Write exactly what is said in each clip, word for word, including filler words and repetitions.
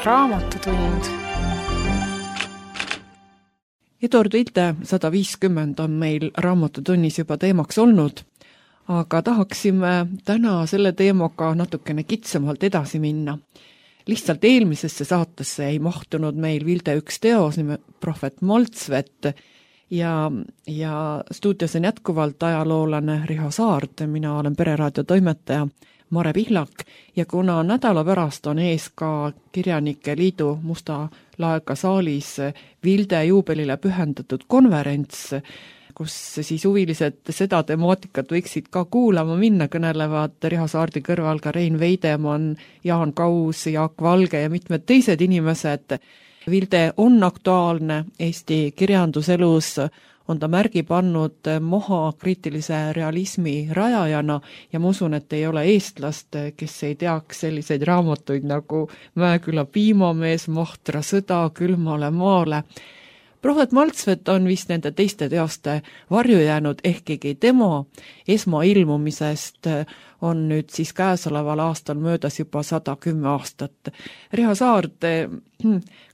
Raamatutund. Eduard Vilte sada viiskümmend on meil Raamatutunnis juba teemaks olnud, aga tahaksime täna selle teemaga natukene kitsamalt edasi minna. Lihtsalt eelmisesse saatesse ei mahtunud meil Vilte üks teos nime Prohvet Maltsvet ja, ja stuudios on jätkuvalt ajaloolane Riho Saart, mina olen Pereraadio toimetaja Mare Pihlak ja kuna nädala pärast on ees ka Kirjanike Liidu Musta laeka saalis Vilde juubelile pühendatud konverents, kus siis huvilised seda temaatikat võiksid ka kuulama minna, kõnelevad Riho Saardi kõrval ka Rein Veidemann, Jaan Kaus, Jaak Valge ja mitmed teised inimesed. Vilde on aktuaalne Eesti kirjanduselus, on ta märgi pannud maha kriitilise realismi rajajana ja ma usun, et ei ole eestlast, kes ei teaks selliseid raamatuid nagu Mäeküla piimamees, Mahtra sõda, Külmale maale. Prohvet Maltsvet on vist nende teiste teoste varju jäänud, ehkigi tema esmailmumisest on nüüd siis käesoleval aastal möödas juba sada kümme aastat. Riho Saart,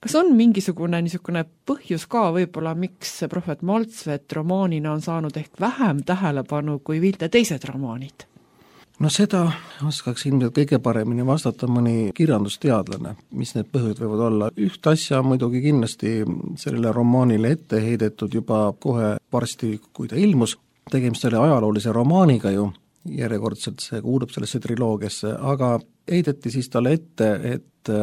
kas on mingisugune niisugune põhjus ka võib-olla, miks Prohvet Maltsvet romaanina on saanud ehk vähem tähelepanu kui Vilte teised romaanid? No seda oskaks ilmselt kõige paremini vastata mõni kirjandusteadlane, mis need põhjused võivad olla. Üht asja muidugi kindlasti sellele romaanile ette heidetud juba kohe varsti, kui ta ilmus. Tegemist oli ajaloolise romaaniga ju, järjekordselt see kuulub sellesse triloogiasse, aga heideti siis talle ette, et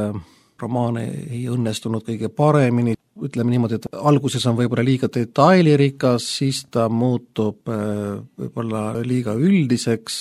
romaan ei õnnestunud kõige paremini. Ütleme niimoodi, et alguses on võib-olla liiga detailirikas, siis ta muutub võib-olla liiga üldiseks,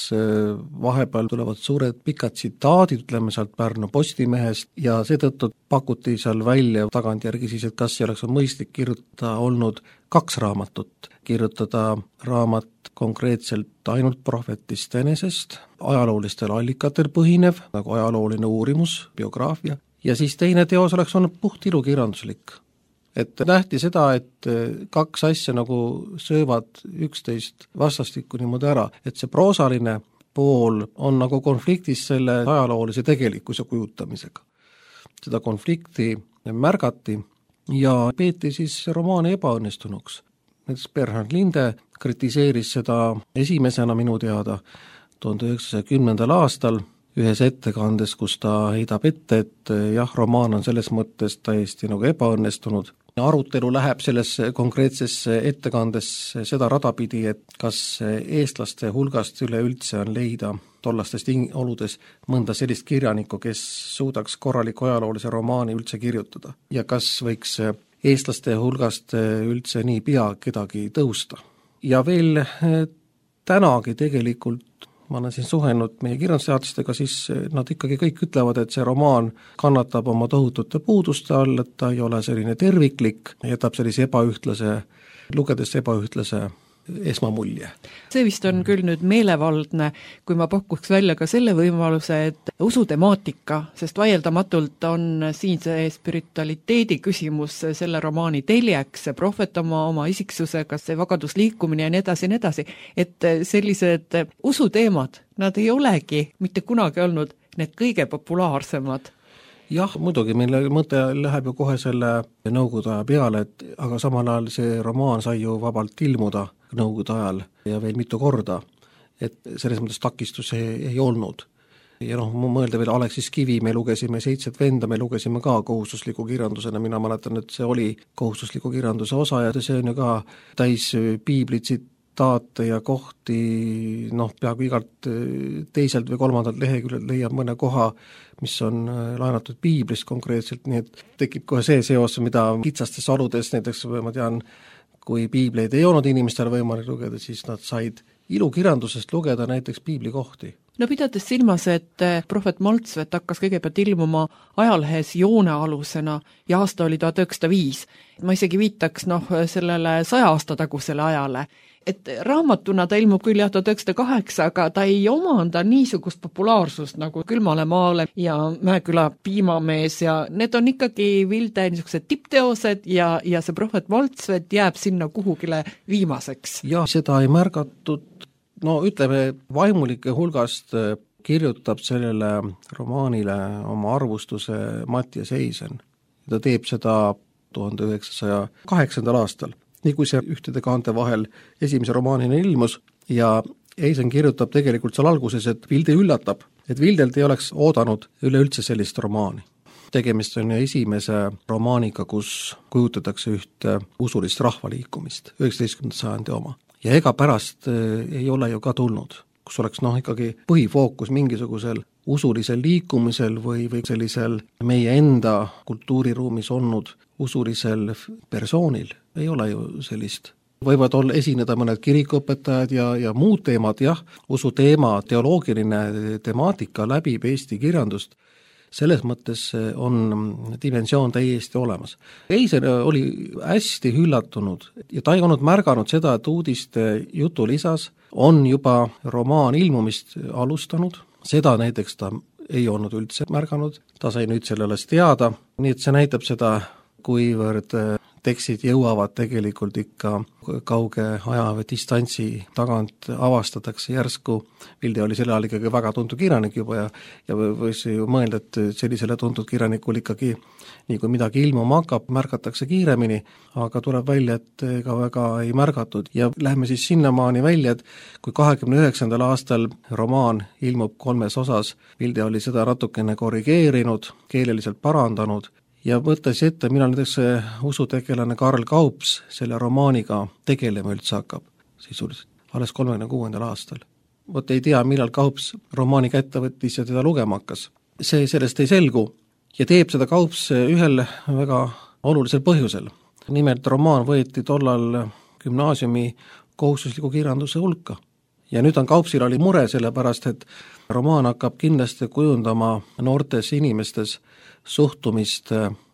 vahepeal tulevad suured pikad tsitaadid, ütleme sealt Pärnu Postimehest, ja seetõttu pakuti seal välja tagantjärgi siis, et kas ei oleks mõistlik kirjutada olnud kaks raamatut, kirjutada raamat konkreetselt ainult prohvetist enesest, ajaloolistel allikatel põhinev, nagu ajalooline uurimus, biograafia, ja siis teine teos oleks olnud puht ilukirjanduslik. Et nähti seda, et kaks asja nagu söövad üksteist vastastikku niimoodi ära, et see proosaline pool on nagu konfliktis selle ajaloolise tegelikkuse kujutamisega. Seda konflikti märgati ja peeti siis romaani ebaõnnestunuks. Näiteks Bernhard Linde kritiseeris seda esimesena minu teada tuhande üheksasaja kümnendal aastal ühes ettekandes, kus ta heidab ette, et jah, romaan on selles mõttes täiesti nagu ebaõnnestunud. Arutelu läheb selles konkreetses ettekandes seda radapidi, et kas eestlaste hulgast üleüldse on leida tollastes oludes mõnda sellist kirjanikku, kes suudaks korraliku ajaloolise romaani üldse kirjutada. Ja kas võiks eestlaste hulgast üldse nii pea kedagi tõusta. Ja veel tänagi tegelikult ma olen siin suhenud meie kirjandusteadlastega, siis nad ikkagi kõik ütlevad, et see romaan kannatab oma tohutute puuduste all, et ta ei ole selline terviklik, jätab sellise ebaühtlase, lugedes ebaühtlase esmamulje. See vist on küll nüüd meelevaldne, kui ma pakuks välja ka selle võimaluse, et usutemaatika, sest vaieldamatult on siin see spiritualiteedi küsimus selle romaani teljeks, see prohvet oma, oma isiksusega, see vagadusliikumine ja nii edasi, nii edasi, et sellised usuteemad, nad ei olegi mitte kunagi olnud need kõige populaarsemad. Jah, muidugi, meil mõte läheb ju kohe selle nõukogude aja peale, et aga samal ajal see romaan sai ju vabalt ilmuda nõukogude ajal ja veel mitu korda, et selles mõttes takistus ei, ei olnud. Ja noh, ma mõelda veel Aleksis Kivi, me lugesime Seitset venda, me lugesime ka kohustusliku kirjandusena, mina mäletan, et see oli kohustusliku kirjanduse osa ja see on ju ka täis piiblitsit, taate ja kohti, noh, peaaegu igalt teiselt või kolmandalt leheküljelt leiab mõne koha, mis on laenatud piiblist konkreetselt, nii et tekib kohe see seos, mida kitsastes oludes, näiteks ma tean, kui piibleid ei olnud inimestel võimalik lugeda, siis nad said ilukirjandusest lugeda näiteks piiblikohti. No pidades silmas, et Prohvet Maltsvet hakkas kõigepealt ilmuma ajalehes joonealusena ja aasta oli tuhat üheksasada viis. Ma isegi viitaks noh, sellele saja aasta tagusele ajale. Et raamatuna ta ilmub küll jah tuhat üheksasada kaheksa, aga ta ei omanda niisugust populaarsust nagu Külmale maale ja Mäeküla piimamees ja need on ikkagi Vilde niisugused tippteosed ja, ja see Prohvet Maltsvet jääb sinna kuhugile viimaseks. Ja seda ei märgatud, no ütleme vaimulike hulgast kirjutab sellele romaanile oma arvustuse Mattias Eisen. Ta teeb seda tuhande üheksasaja kaheksandal aastal, nii kui see ühtede kaante vahel esimese romaanina ilmus ja Eisen kirjutab tegelikult seal alguses, et Vilde üllatab, et Vildelt ei oleks oodanud üleüldse sellist romaani. Tegemist on esimese romaaniga, kus kujutatakse ühte usulist rahvaliikumist, üheksateistkümnenda sajandi oma. Ja ega pärast ei ole ju ka tulnud, kus oleks noh ikkagi põhifookus mingisugusel usulisel liikumisel või, või sellisel meie enda kultuuriruumis olnud usulisel persoonil. Ei ole ju sellist. Võivad olla esineda mõned kirikuõpetajad ja, ja muud teemad, jah, usu teema, teoloogiline temaatika läbib Eesti kirjandust. Selles mõttes on dimensioon täiesti olemas. Eisen oli hästi üllatunud ja ta ei olnud märganud seda, et uudiste jutulisas on juba romaan ilmumist alustanud. Seda näiteks ta ei olnud üldse märganud, ta sai nüüd selle alles teada, nii et see näitab seda, kuivõrd tekstid jõuavad tegelikult ikka kauge aja või distantsi tagant avastatakse järsku. Vilde oli selle ajal ikkagi väga tuntud kirjanik juba ja, ja võis ju mõelda, et sellisele tuntud kirjanikul ikkagi nii kui midagi ilmuma hakkab, märgatakse kiiremini, aga tuleb välja, et ega väga ei märgatud. Ja lähme siis sinnamaani välja, et kui kahekümne üheksandal aastal romaan ilmub kolmes osas, Vilde oli seda natukene korrigeerinud, keeleliselt parandanud, ja mõttes ette, millal näiteks usutegelane Karl Kaups selle romaaniga tegelema üldse hakkab, sisuliselt, alles kolmekümne kuuendal aastal. Vot ei tea, millal Kaups romaani kätte võttis ja teda lugema hakkas. See sellest ei selgu ja teeb seda Kaups ühel väga olulisel põhjusel. Nimelt romaan võeti tollal gümnaasiumi kohustusliku kirjanduse hulka. Ja nüüd on Kaupsil oli mure sellepärast, et romaan hakkab kindlasti kujundama noortes inimestes suhtumist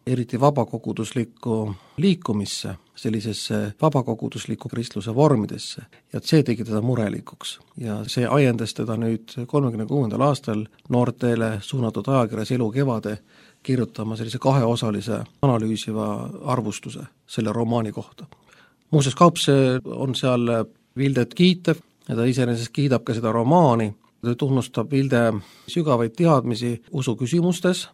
eriti vabakoguduslikku liikumisse, sellisesse vabakogudusliku kristluse vormidesse. Ja see tegi teda murelikuks. Ja see ajendas teda nüüd kolmekümne kuuendal aastal noortele suunatud ajakirjas Elu kevade kirjutama sellise kaheosalise analüüsiva arvustuse selle romaani kohta. Muuseas, Kaups on seal Vildet kiitev ja ta iseenesest kiidab ka seda romaani. Ta tunnustab Vilde sügavaid teadmisi usu küsimustes.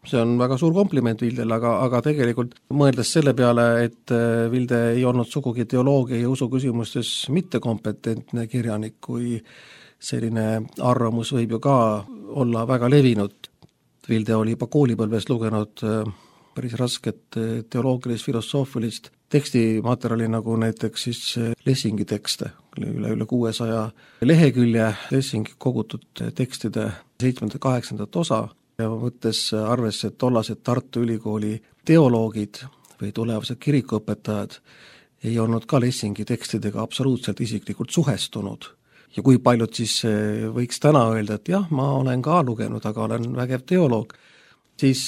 See on väga suur kompliment Vildel, aga, aga tegelikult mõeldes selle peale, et Vilde ei olnud sugugi teoloogia ja usu küsimustes mittekompetentne kirjanik, kui selline arvamus võib ju ka olla väga levinud. Vilde oli juba koolipõlves lugenud päris rasket teoloogilist, filosoofilist tekstimaterjali, nagu näiteks siis Lessingi tekste, üle, üle kuuesaja lehekülje Lessingi kogutud tekstide seitsmenda kaheksandat osa, ja võttes arvesse, et tollased Tartu Ülikooli teoloogid või tulevased kirikuõpetajad ei olnud ka Lessingi tekstidega absoluutselt isiklikult suhestunud. Ja kui paljud siis võiks täna öelda, et jah, ma olen ka lugenud, aga olen vägev teoloog, siis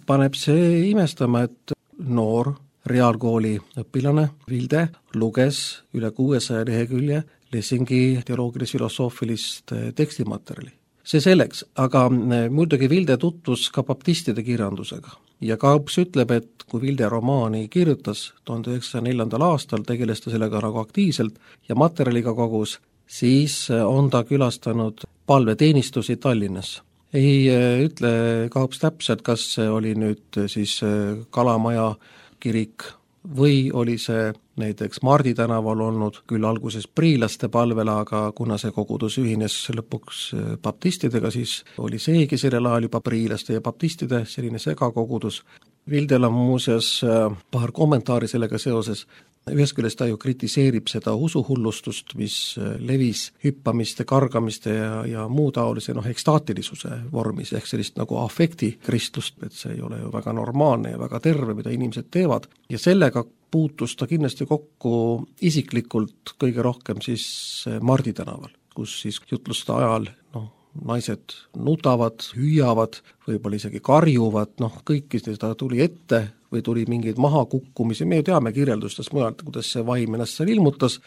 paneb see imestama, et noor reaalkooli õpilane Vilde luges üle kuuesaja lehekülje Lessingi teoloogilis-filosoofilist tekstimaterjali. See selleks, aga muidugi Vilde tutvus ka baptistide kirjandusega. Ja Kaups ütleb, et kui Vilde romaani kirjutas tuhande üheksasaja neljandal aastal, tegeles ta sellega nagu aktiivselt ja materjaliga kogus, siis on ta külastanud palveteenistusi Tallinnas. Ei ütle Kaups täpselt, kas see oli nüüd siis Kalamaja kirik või oli see näiteks Mardi tänaval olnud küll alguses priilaste palvel, aga kuna see kogudus ühines lõpuks baptistidega, siis oli seegi sellel ajal juba priilaste ja baptistide selline segakogudus. Vildel on muuseas paar kommentaari sellega seoses. Ühest küljest ta ju kritiseerib seda usuhullustust, mis levis hüppamiste, kargamiste ja, ja muu taolise noh, ekstaatilisuse vormis, ehk sellist nagu afekti kristlust, et see ei ole ju väga normaalne ja väga terve, mida inimesed teevad. Ja sellega puutus ta kindlasti kokku isiklikult kõige rohkem siis Mardi tänaval, kus siis jutluste ajal noh, naised nutavad, hüüavad, võib-olla isegi karjuvad, noh kõiki seda tuli ette või tuli mingeid mahakukkumisi, me ju teame kirjeldustest mujalt, kuidas see vaim ennast seal ilmutas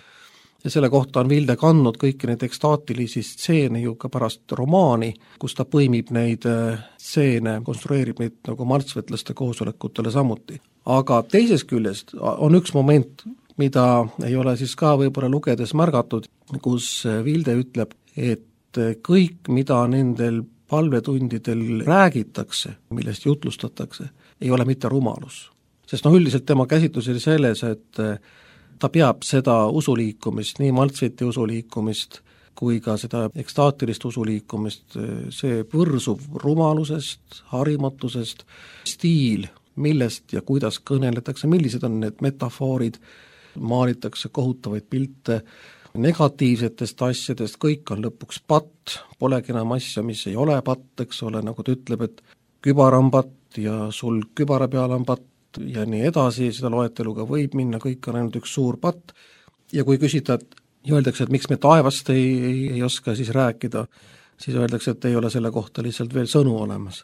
ja selle kohta on Vilde kandnud kõiki neid ekstaatilisi stseene ju ka pärast romaani, kus ta põimib neid stseene, konstrueerib neid nagu martsvetlaste koosolekutele samuti. Aga teisest küljest on üks moment, mida ei ole siis ka võib-olla lugedes märgatud, kus Vilde ütleb, et et kõik, mida nendel palvetundidel räägitakse, millest jutlustatakse, ei ole mitte rumalus. Sest noh, üldiselt tema käsitlus oli selles, et ta peab seda usuliikumist, nii Maltsveti usuliikumist kui ka seda ekstaatilist usuliikumist, see võrsub rumalusest, harimatusest, stiil, millest ja kuidas kõneletakse, millised on need metafoorid, maalitakse kohutavaid pilte, negatiivsetest asjadest, kõik on lõpuks patt, polegi enam asja, mis ei ole patt, eks ole, nagu ta ütleb, et kübar on patt ja sul kübara peal on patt ja nii edasi, seda loeteluga võib minna, kõik on ainult üks suur patt ja kui küsida, et öeldakse, et miks me taevast ei, ei, ei oska siis rääkida, siis öeldakse, et ei ole selle kohta lihtsalt veel sõnu olemas.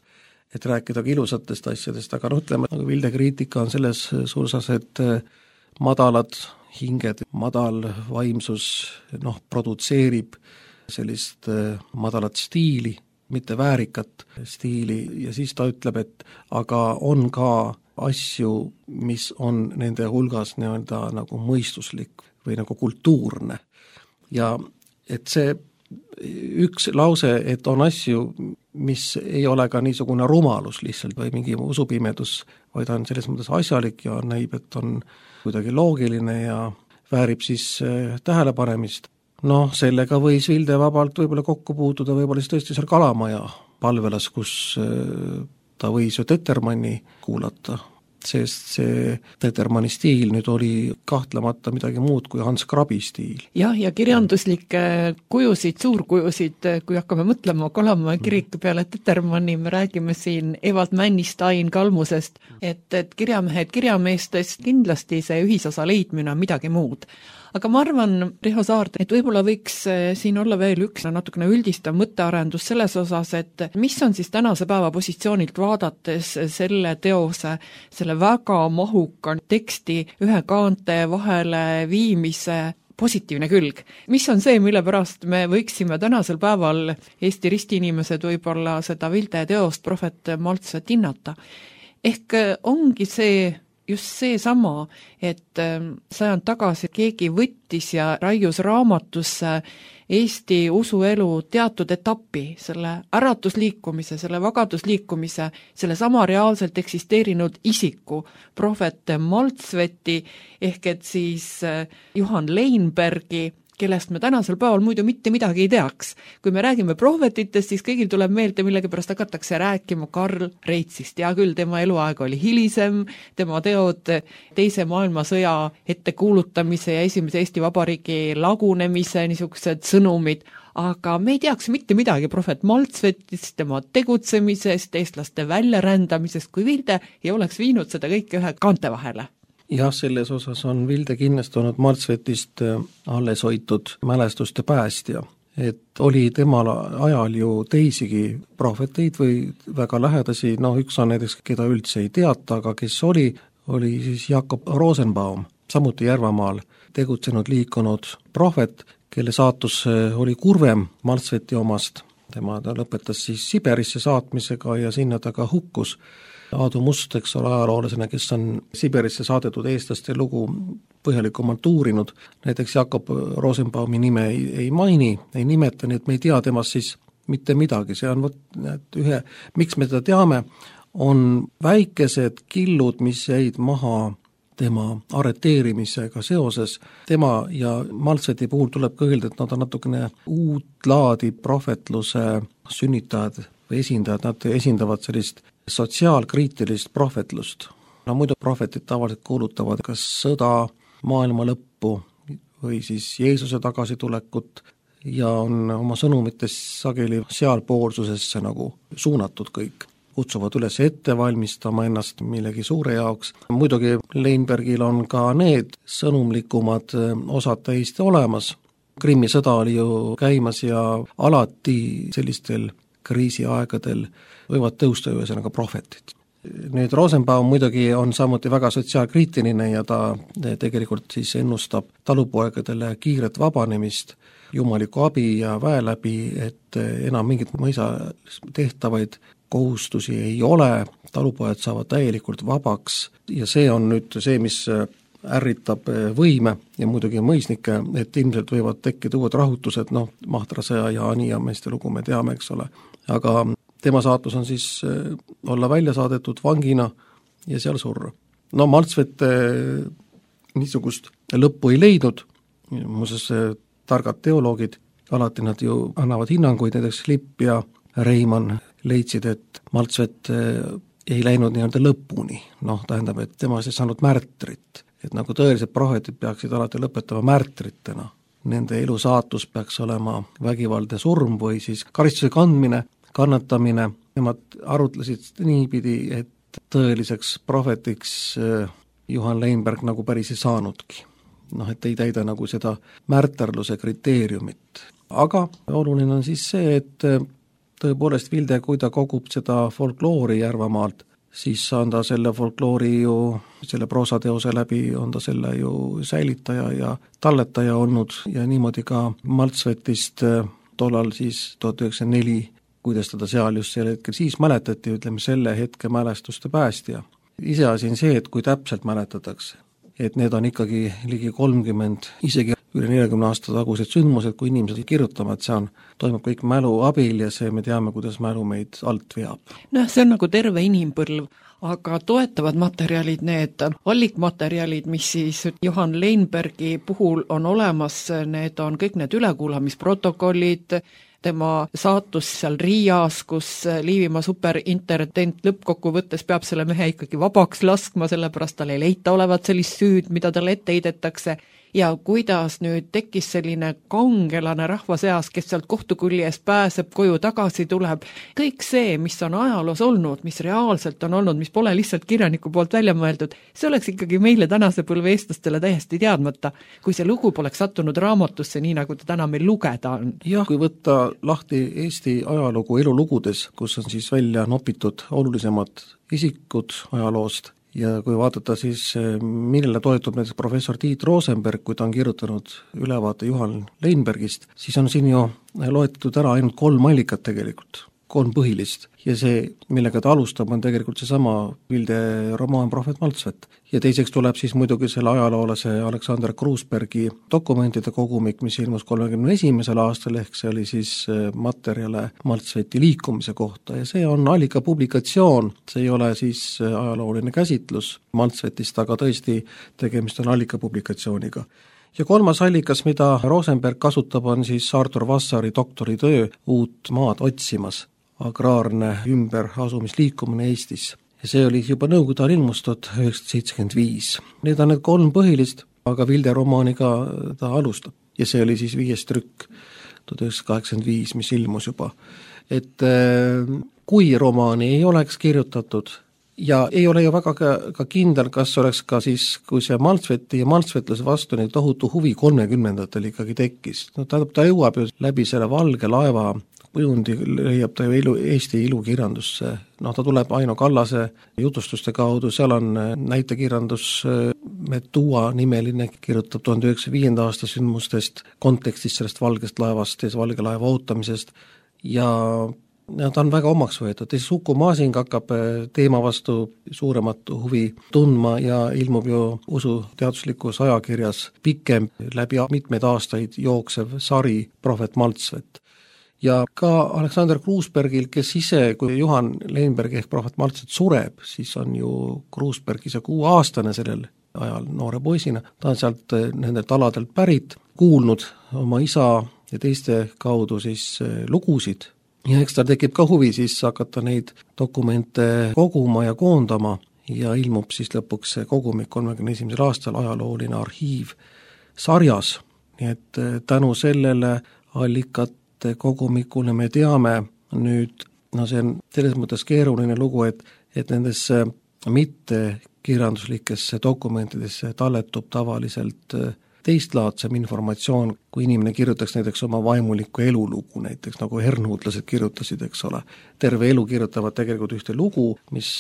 Et rääkida ka ilusatest asjadest, aga noh, ütleme, nagu Vilde kriitika on selles suusas, et madalad hinged, madal vaimsus noh, produtseerib sellist madalat stiili, mitte väärikat stiili ja siis ta ütleb, et aga on ka asju, mis on nende hulgas nii-öelda nagu mõistuslik või nagu kultuurne. Ja et see üks lause, et on asju, mis ei ole ka niisugune rumalus lihtsalt või mingi usupimedus, vaid on selles mõttes asjalik ja näib, et on kuidagi loogiline ja väärib siis tähelepanemist. Noh, sellega võis Vilde vabalt võib-olla kokku puutuda, võib-olla siis tõesti seal Kalamaja palvelas, kus ta võis ju Tettermanni kuulata, sest see Tettermanni stiil nüüd oli kahtlemata midagi muud kui Hans Krabi stiil. jah, ja kirjanduslikke kujusid, suurkujusid, kui hakkame mõtlema Kalamaja kiriku peale Tettermanni, me räägime siin Evald Männistein Kalmusest, et, et kirjamehed kirjameestest kindlasti see ühisosa leidmine on midagi muud. Aga ma arvan, Riho Saard, et võib-olla võiks siin olla veel üks natukene üldistav mõttearendus selles osas, et mis on siis tänase päeva positsioonilt vaadates selle teose, selle väga mahuka teksti ühe kaante vahele viimise positiivne külg. Mis on see, mille pärast me võiksime tänasel päeval Eesti ristiinimesed võib-olla seda Vilde teost Prohvet Maltsvet hinnata? Ehk ongi see just see sama, et sajand tagasi keegi võttis ja raius raamatusse Eesti usuelu teatud etapi, selle äratusliikumise, selle vagadusliikumise, selle sama reaalselt eksisteerinud isiku, prohvet Maltsveti, ehk et siis Johan Leinbergi, kellest me tänasel päeval muidu mitte midagi ei teaks. Kui me räägime prohvetitest, siis kõigil tuleb meelde, millegipärast hakatakse rääkima Karl Reitsist. Ja küll tema eluaeg oli hilisem, tema teod teise maailmasõja ettekuulutamise ja esimese Eesti Vabariigi lagunemise niisugused sõnumid, aga me ei teaks mitte midagi prohvet Maltsvetist, tema tegutsemisest, eestlaste väljarändamisest, kui Vilde ei oleks viinud seda kõike ühe kaante vahele. Jah, selles osas on Vilde kinnistunud Maltsvetist alles hoitud mälestuste päästja. Et oli temal ajal ju teisigi prohveteid või väga lähedasi, noh üks on näiteks, keda üldse ei teata, aga kes oli, oli siis Jakob Rosenbaum, samuti Järvamaal tegutsenud liikunud prohvet, kelle saatus oli kurvem Maltsveti omast. Tema ta lõpetas siis Siberisse saatmisega ja sinna ta ka hukkus. Aadu Must, eks ole, ajaloolasena, kes on Siberisse saadetud eestlaste lugu põhjalikumalt uurinud, näiteks Jakob Rosenbaumi nime ei, ei maini, ei nimeta, nii et me ei tea temast siis mitte midagi, see on võt, et ühe, miks me teda teame, on väikesed killud, mis jäid maha tema arreteerimisega seoses. Tema ja Maltsveti puhul tuleb ka öelda, et nad on natukene uut laadi prohvetluse sünnitajad või esindajad, nad esindavad sellist sotsiaalkriitilist prohvetlust. No muidu prohvetid tavaliselt kuulutavad kas sõda, maailma lõppu või siis Jeesuse tagasitulekut ja on oma sõnumites sageli sealpoolsusesse nagu suunatud kõik. Kutsuvad üles ette valmistama ennast millegi suure jaoks. Muidugi Leinbergil on ka need sõnumlikumad osad täiesti olemas. Krimmi sõda oli ju käimas ja alati sellistel kriisiaegadel võivad tõusta ühesõnaga prohvetid. Nüüd Rosenbaum muidugi on samuti väga sotsiaalkriitiline ja ta tegelikult siis ennustab talupoegadele kiiret vabanemist, jumaliku abi ja väe läbi, et enam mingit mõisa tehtavaid kohustusi ei ole, talupojad saavad täielikult vabaks ja see on nüüd see, mis ärritab võime ja muidugi mõisnikke, et ilmselt võivad tekkida uued rahutused, noh, Mahtrase ja Aniameeste lugu me teame, eks ole, aga tema saatus on siis olla välja saadetud vangina ja seal surra. No Maltsvet niisugust lõppu ei leidnud, muuseas targad teoloogid, alati nad ju annavad hinnanguid, näiteks Lipp ja Reimann leidsid, et Maltsvet ei läinud nii-öelda lõpuni, noh, tähendab, et tema ei saanud märtrit, et nagu tõelised prohvetid peaksid alati lõpetama märtritena. Nende elu saatus peaks olema vägivaldne surm või siis karistuse kandmine, kannatamine, nemad arutlesid niipidi, et tõeliseks prohvetiks Johan Leinberg nagu päris ei saanudki. Noh, et ei täida nagu seda märterluse kriteeriumit. Aga oluline on siis see, et tõepoolest Vilde, kui ta kogub seda folkloori Järvamaalt, siis on ta selle folkloori ju, selle proosateose läbi on ta selle ju säilitaja ja talletaja olnud ja niimoodi ka Maltsvetist tollal siis tuhat üheksasada neli, kuidas teda seal just sel hetkel siis mäletati, ütleme selle hetke mälestuste päästja. Iseasi on see, et kui täpselt mäletatakse, et need on ikkagi ligi kolmkümmend, isegi üle neljakümne aasta tagused sündmused, kui inimesed kirjutavad, see on, toimub kõik mälu abil ja see me teame, kuidas mälu meid alt veab. Noh, see on nagu terve inimpõlv, aga toetavad materjalid, need allikmaterjalid, mis siis Johan Leinbergi puhul on olemas, need on kõik need ülekuulamisprotokollid, tema saatus seal Riias, kus Liivimaa superintendent lõppkokkuvõttes peab selle mehe ikkagi vabaks laskma, sellepärast tal ei leita olevat sellist süüd, mida talle ette heidetakse, ja kuidas nüüd tekkis selline kangelane rahva seas, kes sealt kohtukulli eest pääseb, koju tagasi tuleb. Kõik see, mis on ajaloos olnud, mis reaalselt on olnud, mis pole lihtsalt kirjaniku poolt välja mõeldud, see oleks ikkagi meile tänase põlve eestlastele täiesti teadmata, kui see lugu poleks sattunud raamatusse, nii nagu ta täna meil lugeda on. Jah, kui võtta lahti Eesti ajalugu elulugudes, kus on siis välja nopitud olulisemad isikud ajaloost, ja kui vaadata siis, millele toetub näiteks professor Tiit Rosenberg, kui ta on kirjutanud ülevaate Johan Leinbergist, siis on siin ju loetud ära ainult kolm allikat tegelikult, kolm põhilist. Ja see, millega ta alustab, on tegelikult seesama Vilde romaan Prohvet Maltsvet. Ja teiseks tuleb siis muidugi selle ajaloolase Aleksander Kruusbergi dokumentide kogumik, mis ilmus kolmekümne esimesel aastal, ehk see oli siis materjale Maltsveti liikumise kohta ja see on allika publikatsioon, see ei ole siis ajalooline käsitlus Maltsvetist, aga tõesti tegemist on allika publikatsiooniga. Ja kolmas allikas, mida Rosenberg kasutab, on siis Artur Vassari doktoritöö Uut maad otsimas, agraarne ümberasumisliikumine Eestis. Ja see oli juba Nõukogude ajal ilmustud üheksasada seitsekümmend viis. Need on need kolm põhilist, aga Vilde romaaniga ta alustab. Ja see oli siis viies trükk tuhat üheksasada kaheksakümmend viis, mis ilmus juba. Et kui romaani ei oleks kirjutatud, ja ei ole ju väga ka, ka kindel, kas oleks ka siis, kui see Maltsveti ja maltsvetlase vastu neid tohutu huvi kolmekümnendatel ikkagi tekkis. No ta, ta jõuab ju läbi selle valge laeva kujundi, leiab ta ju ilu, Eesti ilukirjandusse. No ta tuleb Aino Kallase jutustuste kaudu, seal on näitekirjandus Metua nimeline, kirjutab tuhande üheksasaja viienda aasta sündmustest, kontekstist sellest valgest laevast ja valge laeva ootamisest ja ja ta on väga omaks võetud. Teiseks Uku Masing hakkab teema vastu suuremat huvi tundma ja ilmub ju usuteaduslikus ajakirjas pikem läbi mitmeid aastaid jooksev sari Prohvet Maltsvet. Ja ka Aleksander Kruusbergil, kes ise, kui Johan Leinberg ehk Prohvet Maltsvet sureb, siis on ju Kruusberg ise kuue aastane sellel ajal noore poisina, ta on sealt nendelt aladelt pärit, kuulnud oma isa ja teiste kaudu siis lugusid. Ja eks tal tekib ka huvi siis hakata neid dokumente koguma ja koondama ja ilmub siis lõpuks see kogumik kolmekümne esimesel aastal ajalooline arhiiv sarjas. Nii et tänu sellele allikate kogumikule me teame nüüd, no see on selles mõttes keeruline lugu, et, et nendesse mitte kirjanduslikesse dokumentidesse talletub tavaliselt teistlaadsem informatsioon, kui inimene kirjutaks näiteks oma vaimulikku elulugu, näiteks nagu hernuutlased kirjutasid, eks ole. Terve elu kirjutavad tegelikult ühte lugu, mis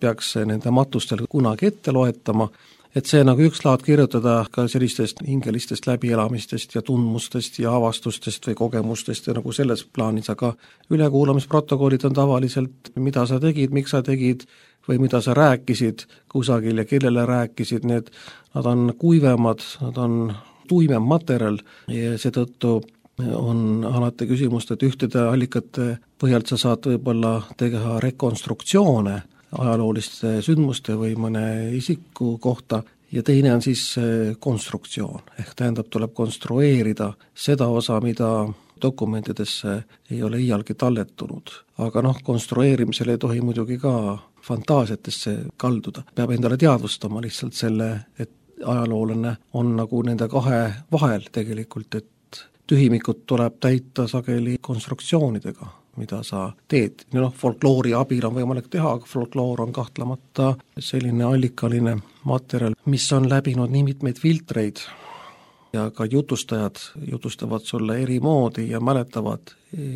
peaks nende matustel kunagi ette loetama, et see nagu üks laad kirjutada ka sellistest hingelistest läbielamistest ja tundmustest ja avastustest või kogemustest ja nagu selles plaanis, aga ülekuulamisprotokollid on tavaliselt, mida sa tegid, miks sa tegid, või mida sa rääkisid kusagil ja kellele rääkisid, need, nad on kuivemad, nad on tuimem materjal ja seetõttu on alati küsimust, et ühtede allikate põhjalt sa saad võib-olla teha rekonstruktsioone ajalooliste sündmuste või mõne isiku kohta ja teine on siis konstruktsioon, ehk tähendab, tuleb konstrueerida seda osa, mida dokumentidesse ei ole iialgi talletunud. Aga noh, konstrueerimisel ei tohi muidugi ka fantaasiatesse kalduda. Peab endale teadvustama lihtsalt selle, et ajaloolane on nagu nende kahe vahel tegelikult, et tühimikud tuleb täita sageli konstruktsioonidega, mida sa teed. Noh, folkloori abil on võimalik teha, aga folkloor on kahtlemata selline allikaline materjal, mis on läbinud nii mitmeid filtreid ja ka jutustajad jutustavad sulle eri moodi ja mäletavad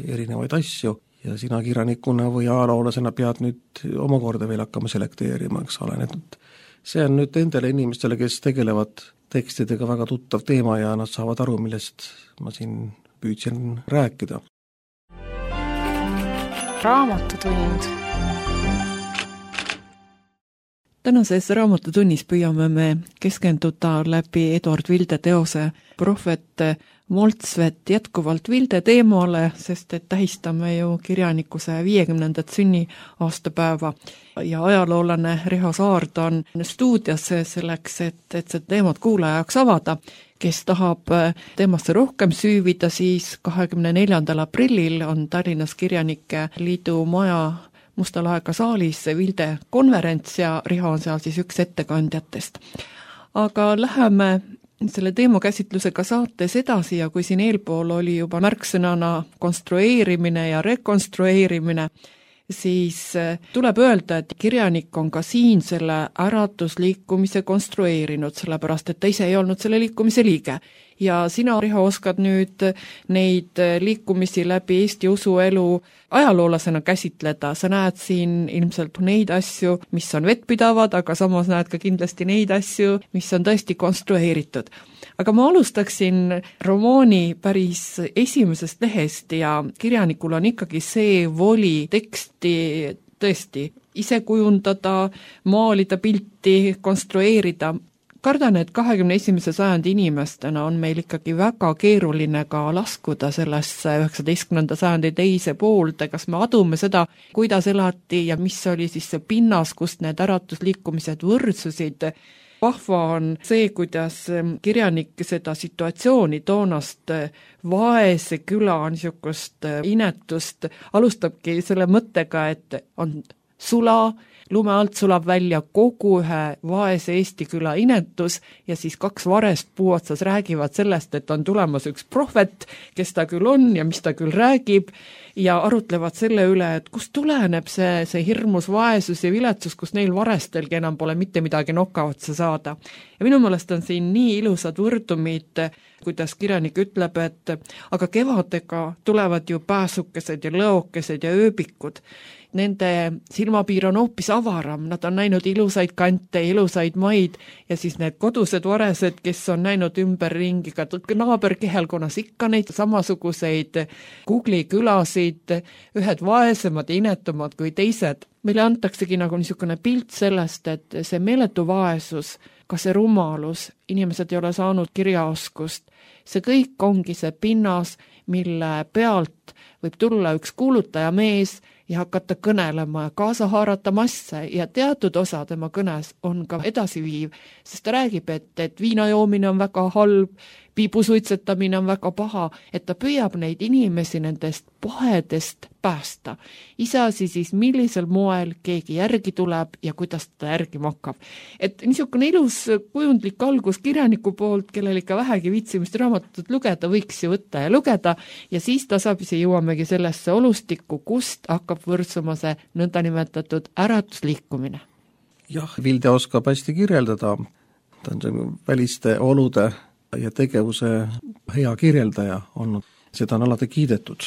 erinevaid asju ja sina kirjanikuna või ajaloolasena pead nüüd omakorda veel hakkama selekteerima, eks ole, et see on nüüd nendele inimestele, kes tegelevad tekstidega väga tuttav teema ja nad saavad aru, millest ma siin püüdsin rääkida. Raamatutund. Tänases raamatutunnis püüame me keskenduda läbi Eduard Vilde teose Prohvet Moltsvet jätkuvalt Vilde teemale, sest et tähistame ju kirjanikuse viiekümnendat sünniaastapäeva ja ajaloolane Riho Saard on stuudios selleks, et, et see teemat kuulaja jaoks avada. Kes tahab teemasse rohkem süüvida, siis kahekümne neljandal aprillil on Tallinnas Kirjanike Liidu maja Mustal aega saalis Vilde konverents ja Riho on seal siis üks ettekandjatest. Aga läheme selle teemakäsitlusega saates edasi ja kui siin eelpool oli juba märksõnana konstrueerimine ja rekonstrueerimine, siis tuleb öelda, et kirjanik on ka siin selle äratusliikumise konstrueerinud, sellepärast et ta ise ei olnud selle liikumise liige. Ja sina, Riho, oskad nüüd neid liikumisi läbi Eesti usuelu ajaloolasena käsitleda. Sa näed siin ilmselt neid asju, mis on vettpidavad, aga samas näed ka kindlasti neid asju, mis on tõesti konstrueeritud. Aga ma alustaksin romaani päris esimesest lehest ja kirjanikul on ikkagi see voli teksti tõesti ise kujundada, maalida pilti, konstrueerida. Kardan, et kahekümne esimese sajandi inimestena on meil ikkagi väga keeruline ka laskuda sellesse üheksateistkümnenda sajandi teise poolde, kas me adume seda, kuidas elati ja mis oli siis see pinnas, kust need äratusliikumised võrdsusid. Vahva on see, kuidas kirjanik seda situatsiooni toonast vaese küla niisugust inetust alustabki selle mõttega, et on sula, lume alt sulab välja kogu ühe vaese Eesti küla inetus ja siis kaks varest puuotsas räägivad sellest, et on tulemas üks prohvet, kes ta küll on ja mis ta küll räägib ja arutlevad selle üle, et kust tuleneb see, see hirmus vaesus ja viletsus, kus neil varestelgi enam pole mitte midagi noka otsa saada. Ja minu meelest on siin nii ilusad võrdumid, kuidas kirjanik ütleb, et aga kevadega tulevad ju pääsukesed ja lõokesed ja ööbikud. Nende silmapiir on hoopis avaram, nad on näinud ilusaid kante, ilusaid maid ja siis need kodused varesed, kes on näinud ümberringi ka naaberkehelkonnas ikka neid samasuguseid Google'i külasid, ühed vaesemad ja inetumad kui teised. Meile antaksegi nagu niisugune pilt sellest, et see meeletu vaesus, ka see rumalus, inimesed ei ole saanud kirjaoskust, see kõik ongi see pinnas, mille pealt võib tulla üks kuulutaja mees ja hakata kõnelema ja kaasa haarata masse ja teatud osa tema kõnes on ka edasiviiv, sest ta räägib, et, et viinajoomine on väga halb, piibusuitsetamine on väga paha, et ta püüab neid inimesi nendest pahedest päästa. Iseasi siis, millisel moel keegi järgi tuleb ja kuidas ta järgima hakkab. Et niisugune ilus kujundlik algus kirjaniku poolt, kellel ikka vähegi viitsimist raamatut lugeda, võiks ju võtta ja lugeda ja siis tasapisi jõuamegi sellesse olustikku, kust hakkab võrdsuma see nõndanimetatud äratusliikumine. Jah, Vilde oskab hästi kirjeldada, ta on see väliste olude ja tegevuse hea kirjeldaja olnud. Seda on alati kiidetud,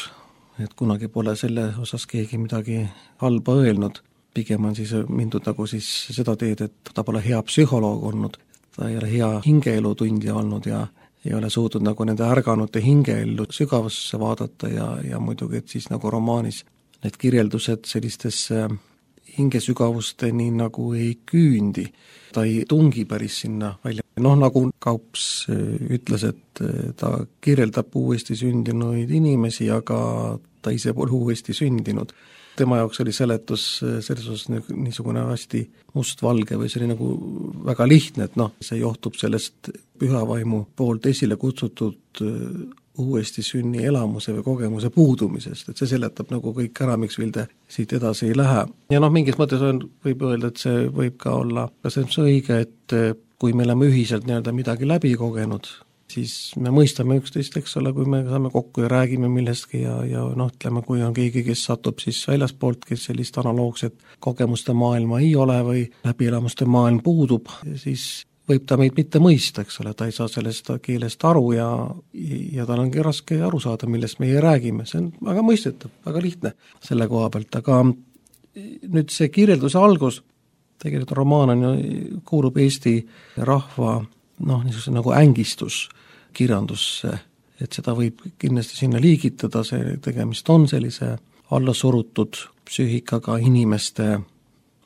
et kunagi pole selle osas keegi midagi halba öelnud. Pigem on siis mindud nagu siis seda teed, et ta pole hea psühholoog olnud, ta ei ole hea hingeelu tundja olnud ja ei ole suutnud nagu nende ärganute hingeellu sügavasse vaadata ja, ja muidugi, et siis nagu romaanis need kirjeldused sellistesse hingesügavusteni nagu ei küündi, ta ei tungi päris sinna välja. Noh, nagu Kaups ütles, et ta kirjeldab uuesti sündinuid inimesi, aga ta ise pole uuesti sündinud. Tema jaoks oli seletus selles osas niisugune hästi mustvalge või see oli nagu väga lihtne, et noh, see johtub sellest pühavaimu poolt esile kutsutud uuesti sünni elamuse või kogemuse puudumisest, et see seletab nagu kõik ära, miks Vilde siit edasi ei lähe. Ja noh, mingis mõttes on, võib öelda, et see võib ka olla ka see õige, et kui me oleme ühiselt nii-öelda midagi läbi kogenud, siis me mõistame üksteist, eks ole, kui me saame kokku ja räägime millestki ja, ja noh, ütleme, kui on keegi, kes satub siis väljaspoolt, kes sellist analoogset kogemuste maailma ei ole või läbielamuste maailm puudub, siis võib ta meid mitte mõista, eks ole, ta ei saa sellest keelest aru ja, ja tal ongi raske aru saada, millest meie räägime, see on väga mõistetav, väga lihtne selle koha pealt, aga nüüd see kirjelduse algus, tegelikult romaan on ju, kuulub Eesti rahva noh, niisuguse nagu ängistus kirjandusse, et seda võib kindlasti sinna liigitada, see tegemist on sellise allasurutud psüühikaga inimeste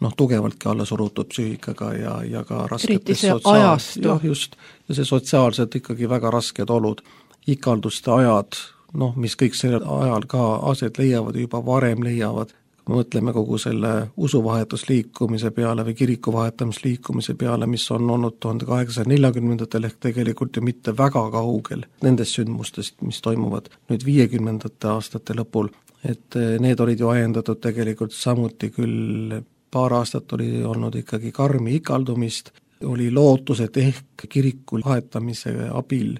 noh, tugevaltki alla surutud psüühikaga ja, ja ka rasketes sotsiaal... jah, just, ja see sotsiaalselt ikkagi väga rasked olud, ikalduste ajad, noh, mis kõik sellel ajal ka aset leiavad, juba varem leiavad, mõtleme kogu selle usuvahetusliikumise peale või kiriku vahetamisliikumise peale, mis on olnud tuhande kaheksasaja neljakümnendatel ehk tegelikult ju mitte väga kaugel nendest sündmustest, mis toimuvad nüüd viiekümnendate aastate lõpul, et need olid ju ajendatud tegelikult samuti küll paar aastat oli olnud ikkagi karmi ikaldumist, oli lootus, et ehk kiriku vahetamise abil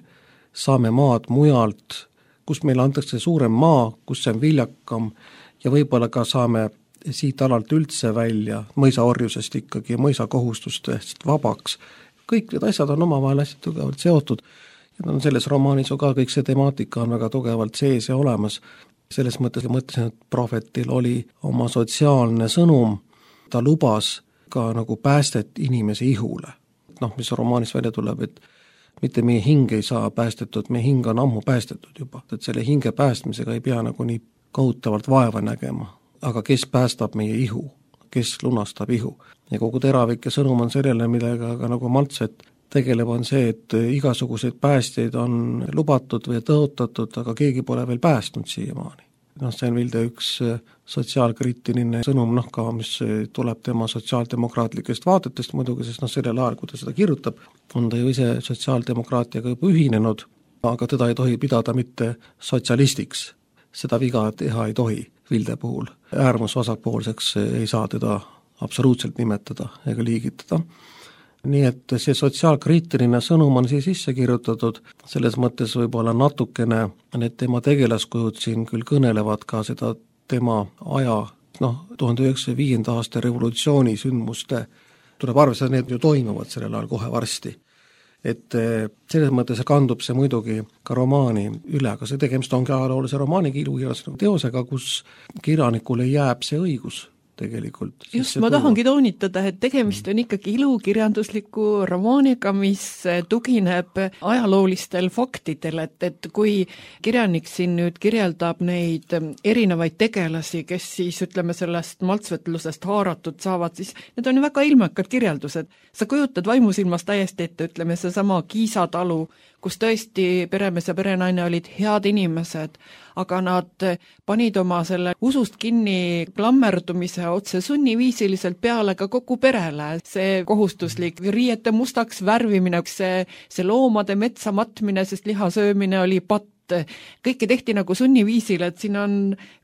saame maad mujalt, kus meile antakse suurem maa, kus see on viljakam ja võib-olla ka saame siit alalt üldse välja mõisaorjusest ikkagi ja mõisakohustustest vabaks. Kõik need asjad on omavahel hästi tugevalt seotud ja on selles romaanis ju ka kõik see temaatika on väga tugevalt sees ja olemas. Selles mõttes mõtlesin, et prohvetil oli oma sotsiaalne sõnum, ta lubas ka nagu päästet inimese ihule. Noh, mis romaanis välja tuleb, et mitte meie hing ei saa päästetud, meie hing on ammu päästetud juba, et selle hinge päästmisega ei pea nagu nii kohutavalt vaeva nägema. Aga kes päästab meie ihu, kes lunastab ihu? Ja kogu teravik ja sõnum on sellele, millega ka nagu Maltset tegeleb, on see, et igasuguseid päästeid on lubatud või tõotatud, aga keegi pole veel päästnud siiamaani. Noh, see on Vilde üks sotsiaalkriitiline sõnum, noh ka, mis tuleb tema sotsiaaldemokraatlikest vaatetest muidugi, sest noh, sellel ajal, kui ta seda kirjutab, on ta ju ise sotsiaaldemokraatiaga juba ühinenud, aga teda ei tohi pidada mitte sotsialistiks. Seda viga teha ei tohi Vilde puhul. Äärmusvasakpoolseks ei saa teda absoluutselt nimetada ega liigitada. Nii et see sotsiaalkriitiline sõnum on siia sisse kirjutatud, selles mõttes võib-olla natukene need tema tegelaskujud siin küll kõnelevad ka seda tema aja, noh, tuhande üheksasaja viienda aasta revolutsiooni sündmuste, tuleb arvestada, need ju toimuvad sellel ajal kohe varsti. Et selles mõttes kandub see muidugi ka romaani üle, aga see tegemist ongi ajaloolise romaani ilukirjandusliku teosega, kus kirjanikule jääb see õigus tegelikult. Just, ma tahangi toonitada, et tegemist on ikkagi ilukirjandusliku romaaniga, mis tugineb ajaloolistel faktidel, et, et kui kirjanik siin nüüd kirjeldab neid erinevaid tegelasi, kes siis ütleme sellest maltsvetlusest haaratud saavad, siis need on ju väga ilmekad kirjeldused. Sa kujutad vaimusilmas täiesti ette, ütleme see sama Kiisa talu, kus tõesti peremees ja perenaine olid head inimesed, aga nad panid oma selle usust kinni klammerdumise otse sunniviisiliselt peale ka kogu perele. See kohustuslik riiete mustaks värvimine, see, see loomade metsa matmine, sest liha söömine oli patt. Kõike tehti nagu sunniviisil, et siin on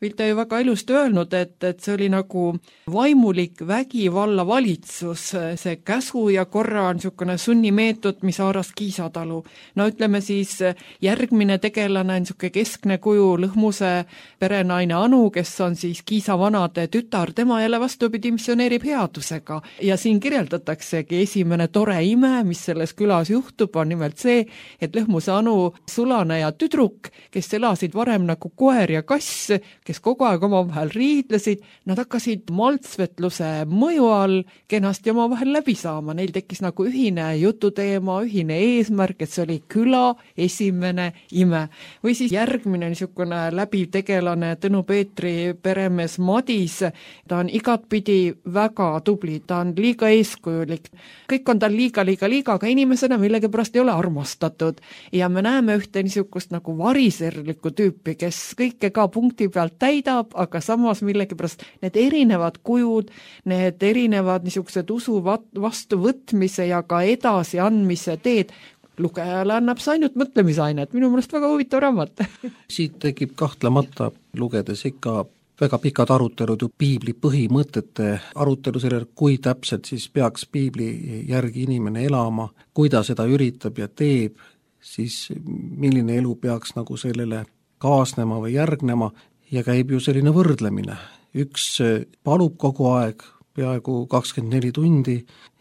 Vilde ju väga ilusti öelnud, et, et see oli nagu vaimulik vägivalla valitsus, see käsu ja korra on niisugune sunnimeetod, mis haaras Kiisa talu. No ütleme siis järgmine tegelane on niisugune keskne kuju Lõhmuse perenaine Anu, kes on siis Kiisa vanade tütar, tema jälle vastupidi missioneerib headusega. Ja siin kirjeldataksegi esimene tore ime, mis selles külas juhtub, on nimelt see, et Lõhmuse Anu sulane ja tüdruk tüdruk, kes elasid varem nagu koer ja kass, kes kogu aeg omavahel riidlesid, nad hakkasid maltsvetluse mõju all kenasti omavahel läbi saama, neil tekkis nagu ühine jututeema, ühine eesmärk, et see oli küla esimene ime. Või siis järgmine niisugune läbiv tegelane Tõnu Peetri peremees Madis, ta on igatpidi väga tubli, ta on liiga eeskujulik. Kõik on tal liiga, liiga, liiga, aga inimesena millegipärast ei ole armastatud. Ja me näeme ühte niisugust nagu variserlikku tüüpi, kes kõike ka punkti pealt täidab, aga samas millegipärast need erinevad kujud, need erinevad niisugused usu vastuvõtmise ja ka edasi andmise teed, lugejale annab see ainult mõtlemisainet, minu meelest väga huvitav raamat. Siit tekib kahtlemata lugedes ikka väga pikad arutelud ju piibli põhimõtete arutelu sellele, kui täpselt siis peaks piibli järgi inimene elama, kui ta seda üritab ja teeb, siis milline elu peaks nagu sellele kaasnema või järgnema ja käib ju selline võrdlemine. Üks palub kogu aeg, peaaegu kakskümmend neli tundi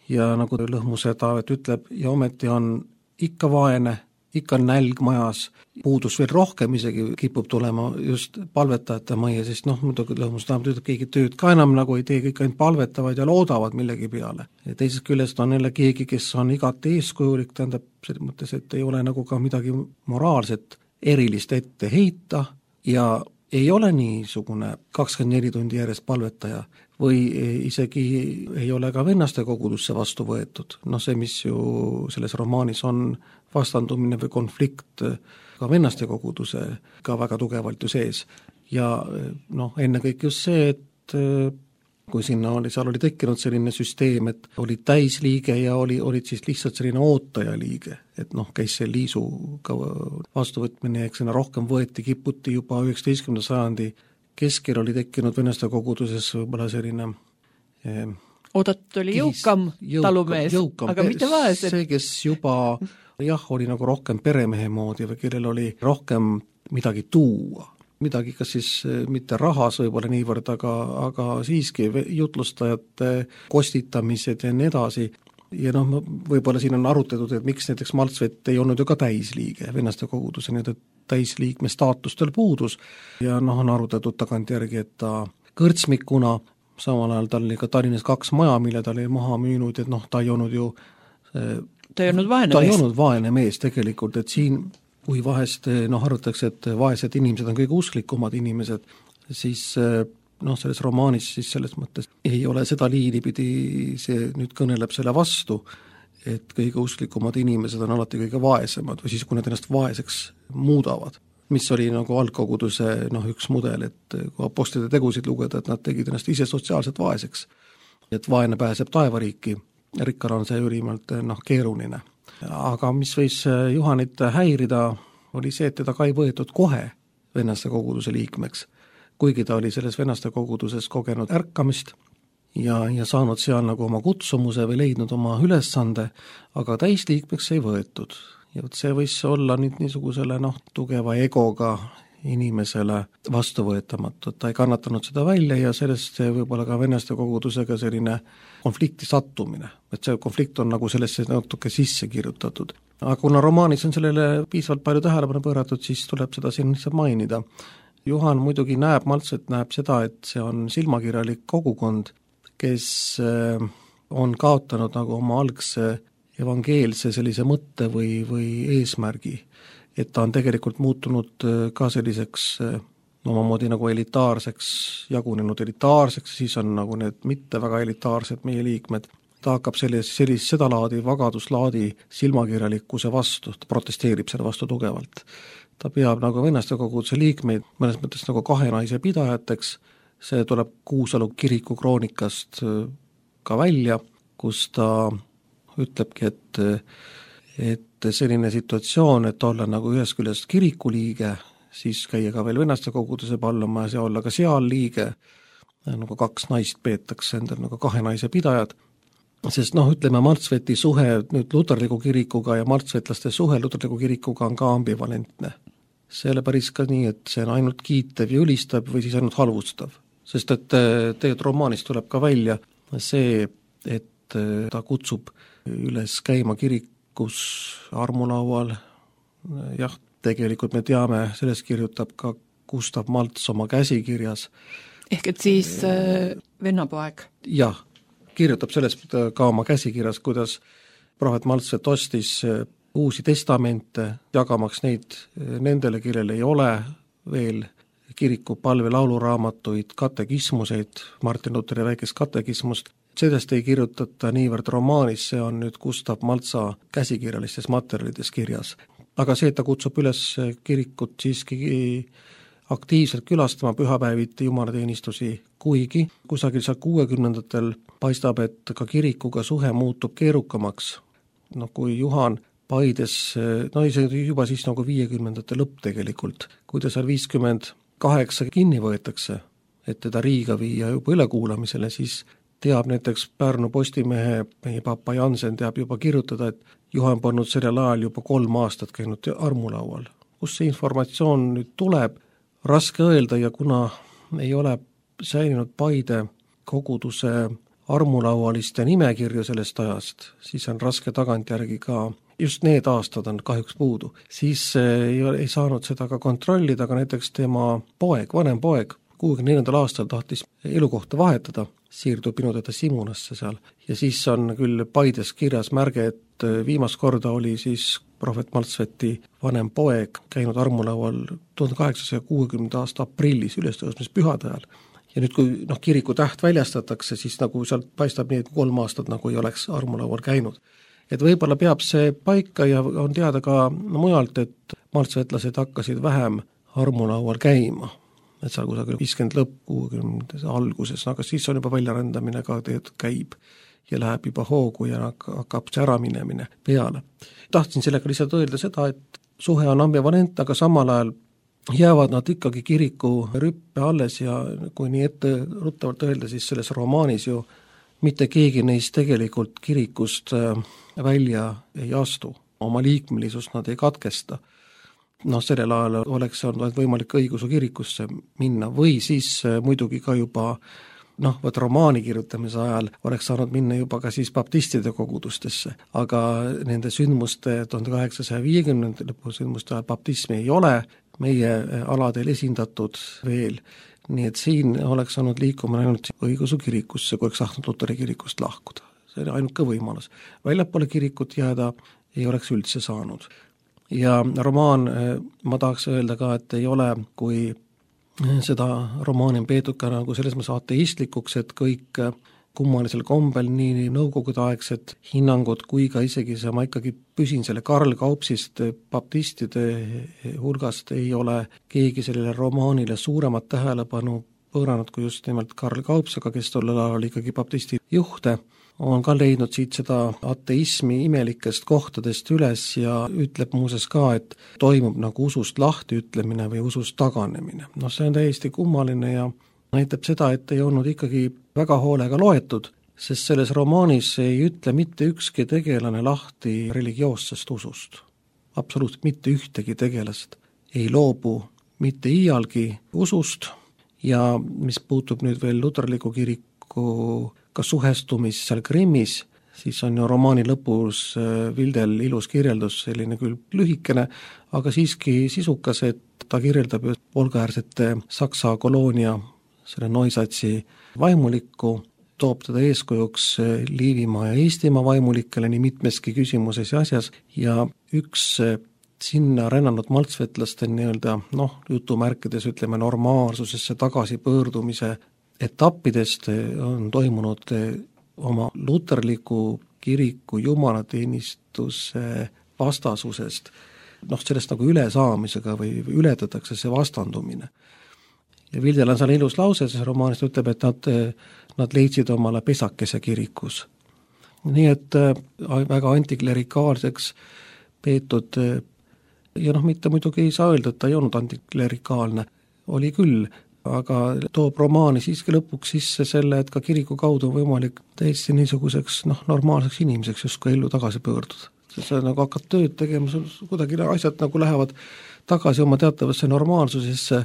ja nagu Lõhmuse Taavet ütleb, ja ometi on ikka vaene, ikka nälg majas, puudus veel rohkem isegi kipub tulema just palvetajate majja, sest noh, muidugi Lõhmuse Taavet ütleb, keegi tööd ka enam nagu ei tee, kõik ainult palvetavad ja loodavad millegi peale. Ja teisest küljest on jälle keegi, kes on igati eeskujulik, tähendab selles mõttes, et ei ole nagu ka midagi moraalset erilist ette heita ja ei ole niisugune kakskümmend neli tundi järjest palvetaja või isegi ei ole ka vennaste kogudusse vastu võetud. Noh, see, mis ju selles romaanis on vastandumine või konflikt ka vennaste koguduse ka väga tugevalt ju sees. Ja noh, ennekõike just see, et kui sinna oli, seal oli tekkinud selline süsteem, et oli täisliige ja oli, olid siis lihtsalt selline ootajaliige, et noh, käis see liisuga vastuvõtmine, eks sinna rohkem võeti, kiputi juba üheksateistkümnenda sajandi keskel oli tekkinud vennaste koguduses võib-olla selline eh, oodatud oli jõukam, jõukam talumees, jõukam, aga mitte vaesed. See, kes juba jah, oli nagu rohkem peremehe moodi või kellel oli rohkem midagi tuua. Midagi kas siis mitte rahas võib-olla niivõrd, aga, aga siiski jutlustajate kostitamised ja nii edasi. Ja noh, võib-olla siin on arutatud, et miks näiteks Maltsvet ei olnud ju ka täisliige vennaste koguduse, nii et täisliikme staatustel puudus ja noh, on arutatud tagantjärgi, et ta kõrtsmikuna, samal ajal tal oli ka Tallinnas kaks maja, mille ta oli maha müünud, et noh, ta ei olnud ju ta ei olnud vaene ta mees. ei olnud vaene mees tegelikult, et siin kui vahest noh, arvatakse, et vaesed inimesed on kõige usklikumad inimesed, siis noh, selles romaanis siis selles mõttes ei ole seda liini pidi, see nüüd kõneleb selle vastu, et kõige usklikumad inimesed on alati kõige vaesemad või siis, kui nad ennast vaeseks muudavad, mis oli nagu algkoguduse noh, üks mudel, et kui apostlite tegusid lugeda, et nad tegid ennast ise sotsiaalselt vaeseks, et vaene pääseb taevariiki, rikkal on see ülimalt noh, keeruline. Aga mis võis Juhanit häirida, oli see, et teda ka ei võetud kohe vennaste koguduse liikmeks, kuigi ta oli selles vennaste koguduses kogenud ärkamist ja, ja saanud seal nagu oma kutsumuse või leidnud oma ülesande, aga täisliikmeks ei võetud. Ja see võis olla nüüd niisugusele noh, tugeva egoga inimesele vastuvõetamatu, et ta ei kannatanud seda välja ja sellest võib-olla ka vennaste kogudusega selline konflikti sattumine, et see konflikt on nagu sellesse natuke sisse kirjutatud. Aga kuna romaanis on sellele piisavalt palju tähelepanu pööratud, siis tuleb seda siin lihtsalt mainida. Juhan muidugi näeb, Maltsvet näeb seda, et see on silmakirjalik kogukond, kes on kaotanud nagu oma algse evangeelse sellise mõtte või, või eesmärgi, et ta on tegelikult muutunud ka selliseks omamoodi nagu elitaarseks, jagunenud elitaarseks, siis on nagu need mitte väga elitaarsed meie liikmed. Ta hakkab sellist, sellist seda laadi, vagaduslaadi silmakirjalikkuse vastu, ta protesteerib selle vastu tugevalt. Ta peab nagu vennaste koguduse liikmeid mõnes mõttes nagu kahe naise pidajateks, see tuleb Kuusalu kiriku kroonikast ka välja, kus ta ütlebki, et et selline situatsioon, et olla nagu ühest küljest kirikuliige, siis käia ka veel vennaste koguduse pallamas ja olla ka seal liige, nagu kaks naist peetakse endal nagu kahe naise pidajad, sest noh, ütleme Maltsveti suhe nüüd luterliku kirikuga ja maltsvetlaste suhe luterliku kirikuga on ka ambivalentne. See ei ole päris ka nii, et see on ainult kiitev ja ülistab või siis ainult halvustav, sest et tegelikult romaanis tuleb ka välja see, et ta kutsub üles käima kirik kus armulaual jah, tegelikult me teame, sellest kirjutab ka Gustav Malts oma käsikirjas. Ehk et siis äh, vennapoeg? Jah, kirjutab sellest ka oma käsikirjas, kuidas prohvet Maltsvet ostis uusi testamente, jagamaks neid nendele, kellel ei ole veel kiriku palve lauluraamatuid, katekismuseid, Martin Luteri väikest katekismust. Sellest ei kirjutata niivõrd romaanis, see on nüüd Gustav Maltsa käsikirjalistes materjalides kirjas. Aga see, et ta kutsub üles kirikut siiski aktiivselt külastama pühapäeviti jumalateenistusi, kuigi kusagil seal kuuekümnendatel paistab, et ka kirikuga suhe muutub keerukamaks. No kui Juhan Paides, no ei see juba siis nagu viiekümnendate lõpp tegelikult, kui ta seal viiskümmend kaheksa kinni võetakse, et teda Riiga viia juba ülekuulamisele, siis teab näiteks Pärnu Postimehe, meie papa Jansen teab juba kirjutada, et Juhan polnud sellel ajal juba kolm aastat käinud armulaual. Kus see informatsioon nüüd tuleb, raske öelda ja kuna ei ole säilinud Paide koguduse armulaualiste nimekirju sellest ajast, siis on raske tagantjärgi ka, just need aastad on kahjuks puudu, siis ei, ei saanud seda ka kontrollida, aga näiteks tema poeg, vanem poeg, kuuekümne neljandal aastal tahtis elukohta vahetada, siirdub minu teda Simunasse seal ja siis on küll Paides kirjas märge, et viimast korda oli siis prohvet Maltsveti vanem poeg käinud armulaual tuhande kaheksasaja kuuekümnenda aasta aprillis ülestõusmispühade ajal. Ja nüüd, kui noh, kiriku täht väljastatakse, siis nagu sealt paistab nii, et kolm aastat nagu ei oleks armulaual käinud. Et võib-olla peab see paika ja on teada ka no, mujalt, et maltsvetlased hakkasid vähem armulaual käima. Et seal kusagil viiskümmend lõpp kuuekümnendate alguses, aga siis on juba väljarändamine ka teed käib ja läheb juba hoogu ja hakkab see ära minemine peale. Tahtsin sellega lihtsalt öelda seda, et suhe on ambivalent, aga samal ajal jäävad nad ikkagi kiriku rüppe alles ja kui nii ette ruttavalt öelda, siis selles romaanis ju mitte keegi neist tegelikult kirikust välja ei astu. Oma liikmelisust nad ei katkesta. Noh, sellel ajal oleks olnud võimalik õigusu kirikusse minna või siis muidugi ka juba noh, võt romaani kirjutamise ajal oleks saanud minna juba ka siis baptistide kogudustesse, aga nende sündmuste tuhande kaheksasaja viiekümnendate lõpu sündmuste ajal baptismi ei ole meie aladel esindatud veel, nii et siin oleks saanud liikuma ainult õigusu kirikusse, kui oleks tahtnud Luteri kirikust lahkuda. See oli ainuke võimalus. Väljapoole kirikut jääda ei oleks üldse saanud. Ja romaan, ma tahaks öelda ka, et ei ole, kui seda romaani on peetud ka nagu selles mõttes ateistlikuks, et kõik kummalisel kombel nii nõukogude aegsed hinnangud kui ka isegi see, ma ikkagi püsin selle Karl Kaupsist baptistide hulgast, ei ole keegi sellele romaanile suuremat tähelepanu pööranud kui just nimelt Karl Kaups, aga kes tollel ajal oli ikkagi baptisti juhte, on ka leidnud siit seda ateismi imelikest kohtadest üles ja ütleb muuses ka, et toimub nagu usust lahti ütlemine või usust taganemine. No see on täiesti kummaline ja näitab seda, et ei olnud ikkagi väga hoolega loetud, sest selles romaanis ei ütle mitte ükski tegelane lahti religioossest usust. Absoluutselt mitte ühtegi tegelast ei loobu mitte iialgi usust ja mis puutub nüüd veel luterliku kiriku ka suhestumis seal Grimmis, siis on ju romaani lõpus Vildel ilus kirjeldus, selline küll lühikene, aga siiski sisukas, et ta kirjeldab Volgaäärsete Saksa koloonia selle Neusatsi vaimulikku, toob teda eeskujuks Liivimaa ja Eestimaa vaimulikele nii mitmeski küsimuses ja asjas ja üks sinna rännanud maltsvetlaste nii-öelda, noh, jutumärkides ütleme normaalsusesse tagasipöördumise etappidest on toimunud oma luterliku kiriku jumalateenistuse vastasusest, noh, sellest nagu ülesaamisega või ületatakse see vastandumine. Ja Vildel on seal ilus lause, see romaanist ütleb, et nad, nad leidsid omale pesakese kirikus. Nii et väga antiklerikaalseks peetud ja noh, mitte muidugi ei saa öelda, et ta ei olnud antiklerikaalne, oli küll, aga toob romaani siiski lõpuks sisse selle, et ka kiriku kaudu on võimalik täiesti niisuguseks noh, normaalseks inimeseks justkui ellu tagasi pöörduda. See nagu hakkad tööd tegema, kuidagi asjad nagu lähevad tagasi oma teatavasse normaalsusesse,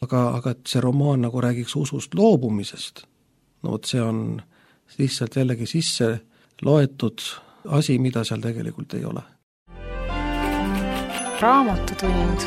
aga, aga et see romaan nagu räägiks usust loobumisest, no vot see on lihtsalt jällegi sisse loetud asi, mida seal tegelikult ei ole. Raamatutund.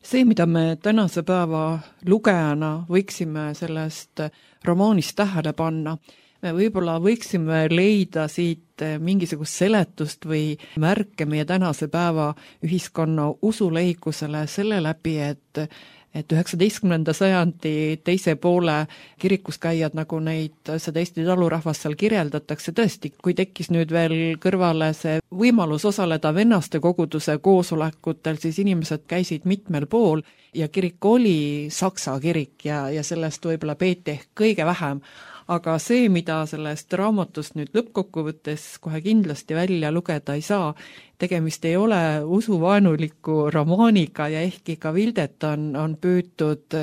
See, mida me tänase päeva lugejana võiksime sellest romaanist tähele panna, me võib-olla võiksime leida siit mingisugust seletust või märke meie tänase päeva ühiskonna usuleikusele selle läbi, et et üheksateistkümnenda sajandi teise poole kirikuskäijad, nagu neid seda Eesti talurahvast seal kirjeldatakse, tõesti, kui tekkis nüüd veel kõrvale see võimalus osaleda vennaste koguduse koosolekutel, siis inimesed käisid mitmel pool ja kirik oli saksa kirik ja, ja sellest võib-olla peeti ehk kõige vähem. Aga see, mida sellest raamatust nüüd lõppkokkuvõttes kohe kindlasti välja lugeda ei saa, tegemist ei ole usuvaenuliku romaaniga ja ehkki ka Vildet on, on püütud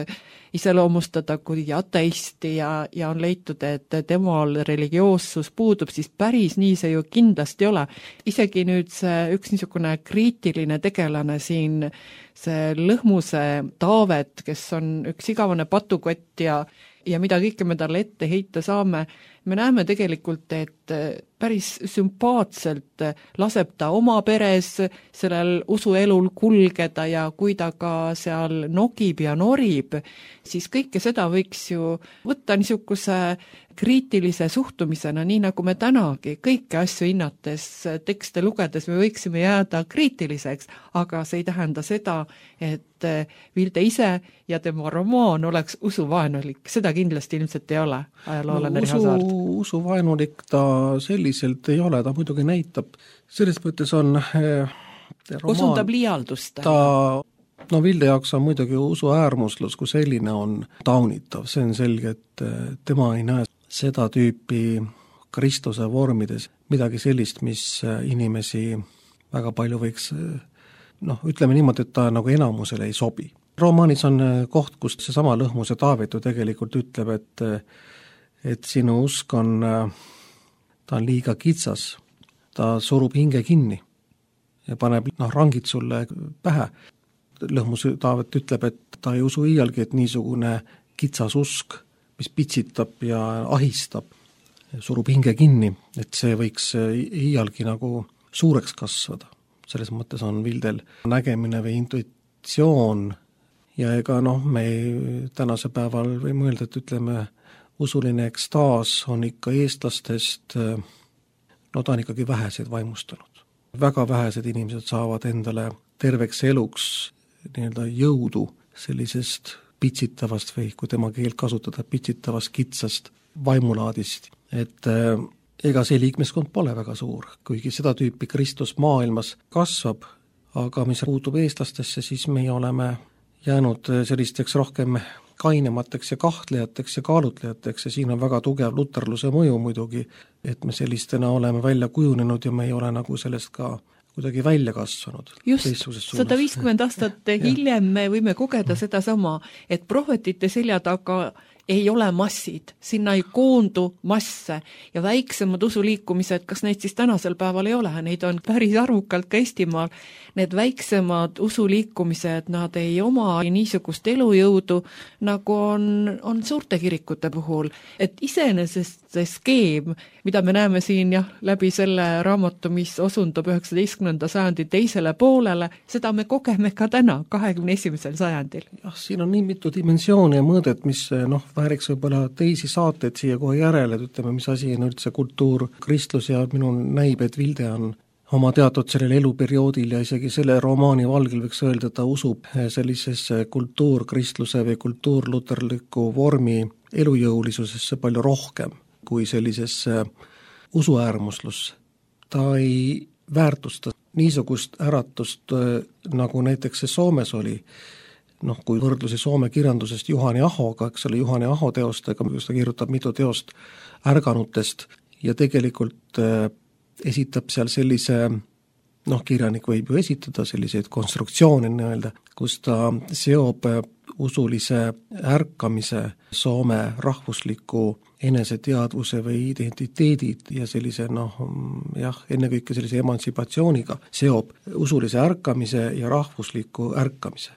iseloomustada kui ateisti ja, ja on leitud, et temal religioossus puudub, siis päris nii see ju kindlasti ei ole. Isegi nüüd see üks niisugune kriitiline tegelane siin, see Lõhmuse Taavet, kes on üks igavane patukott ja ja mida kõike me talle ette heita saame, me näeme tegelikult, et päris sümpaatselt laseb ta oma peres sellel usuelul kulgeda ja kui ta ka seal nogib ja norib, siis kõike seda võiks ju võtta niisuguse kriitilise suhtumisena, nii nagu me tänagi kõiki asju hinnates, tekste lugedes me võiksime jääda kriitiliseks, aga see ei tähenda seda, et Vilde ise ja tema romaan oleks usuvaenulik. Seda kindlasti ilmselt ei ole ajaloolane no, Riho Saart. Usuvaenulik ta selliselt ei ole, ta muidugi näitab, selles mõttes on eh, romaan, osundab liialdust. Ta, no Vilde jaoks on muidugi usu äärmuslus, kui selline on taunitav, see on selge, et tema ei näe seda tüüpi Kristuse vormides midagi sellist, mis inimesi väga palju võiks, noh, ütleme niimoodi, et ta nagu enamusele ei sobi. Romaanis on koht, kus seesama Lõhmuse Taavet ju tegelikult ütleb, et, et sinu usk on, ta on liiga kitsas, ta surub hinge kinni ja paneb noh, rangid sulle pähe. Lõhmuse Taavet ütleb, et ta ei usu iialgi, et niisugune kitsas usk, mis pitsitab ja ahistab, surub hinge kinni, et see võiks iialgi nagu suureks kasvada. Selles mõttes on Vildel nägemine või intuitsioon ja ega noh, me tänase päeval võime öelda, et ütleme, usuline ekstaas on ikka eestlastest, no ta on ikkagi väheseid vaimustanud. Väga vähesed inimesed saavad endale terveks eluks nii-öelda jõudu sellisest pitsitavast või kui tema keelt kasutada, pitsitavast kitsast vaimulaadist. Et ega see liikmeskond pole väga suur, kuigi seda tüüpi Kristus maailmas kasvab, aga mis puutub eestlastesse, siis me oleme jäänud sellisteks rohkem kainemateks ja kahtlejateks ja kaalutlejateks ja siin on väga tugev luterluse mõju muidugi, et me sellistena oleme välja kujunenud ja me ei ole nagu sellest ka kuidagi välja kasvanud. Just, sada viiskümmend aastat hiljem me võime kogeda seda sama, et prohvetite selja taga ei ole massid, sinna ei koondu masse ja väiksemad usuliikumised, kas neid siis tänasel päeval ei ole, neid on päris arvukalt ka Eestimaal, need väiksemad usuliikumised, nad ei oma niisugust elujõudu, nagu on, on suurte kirikute puhul, et iseenesest see skeem, mida me näeme siin jah, läbi selle raamatu, mis osundub üheksateistkümnenda sajandi teisele poolele, seda me kogeme ka täna, kahekümne esimesel sajandil. Jah, siin on nii mitu dimensiooni ja mõõdet, mis noh, vääriks võib-olla teisi saateid siia kohe järele, et ütleme, mis asi on üldse kultuur, kristlus ja minu näib, et Vilde on oma teatud sellel eluperioodil ja isegi selle romaani valgel võiks öelda, et ta usub sellisesse kultuurkristluse või kultuurluterliku vormi elujõulisusesse palju rohkem kui sellisesse usuäärmuslusse. Ta ei väärtusta niisugust äratust, nagu näiteks see Soomes oli, noh, kui võrdlusi Soome kirjandusest Juhani Ahoga, eks ole, Juhani Aho teostega, kus ta kirjutab mitu teost ärganutest ja tegelikult äh, esitab seal sellise, noh, kirjanik võib ju esitada selliseid konstruktsioone nii-öelda, kus ta seob usulise ärkamise Soome rahvusliku eneseteadvuse või identiteedid ja sellise, noh, jah, ennekõike sellise emantsipatsiooniga seob usulise ärkamise ja rahvusliku ärkamise.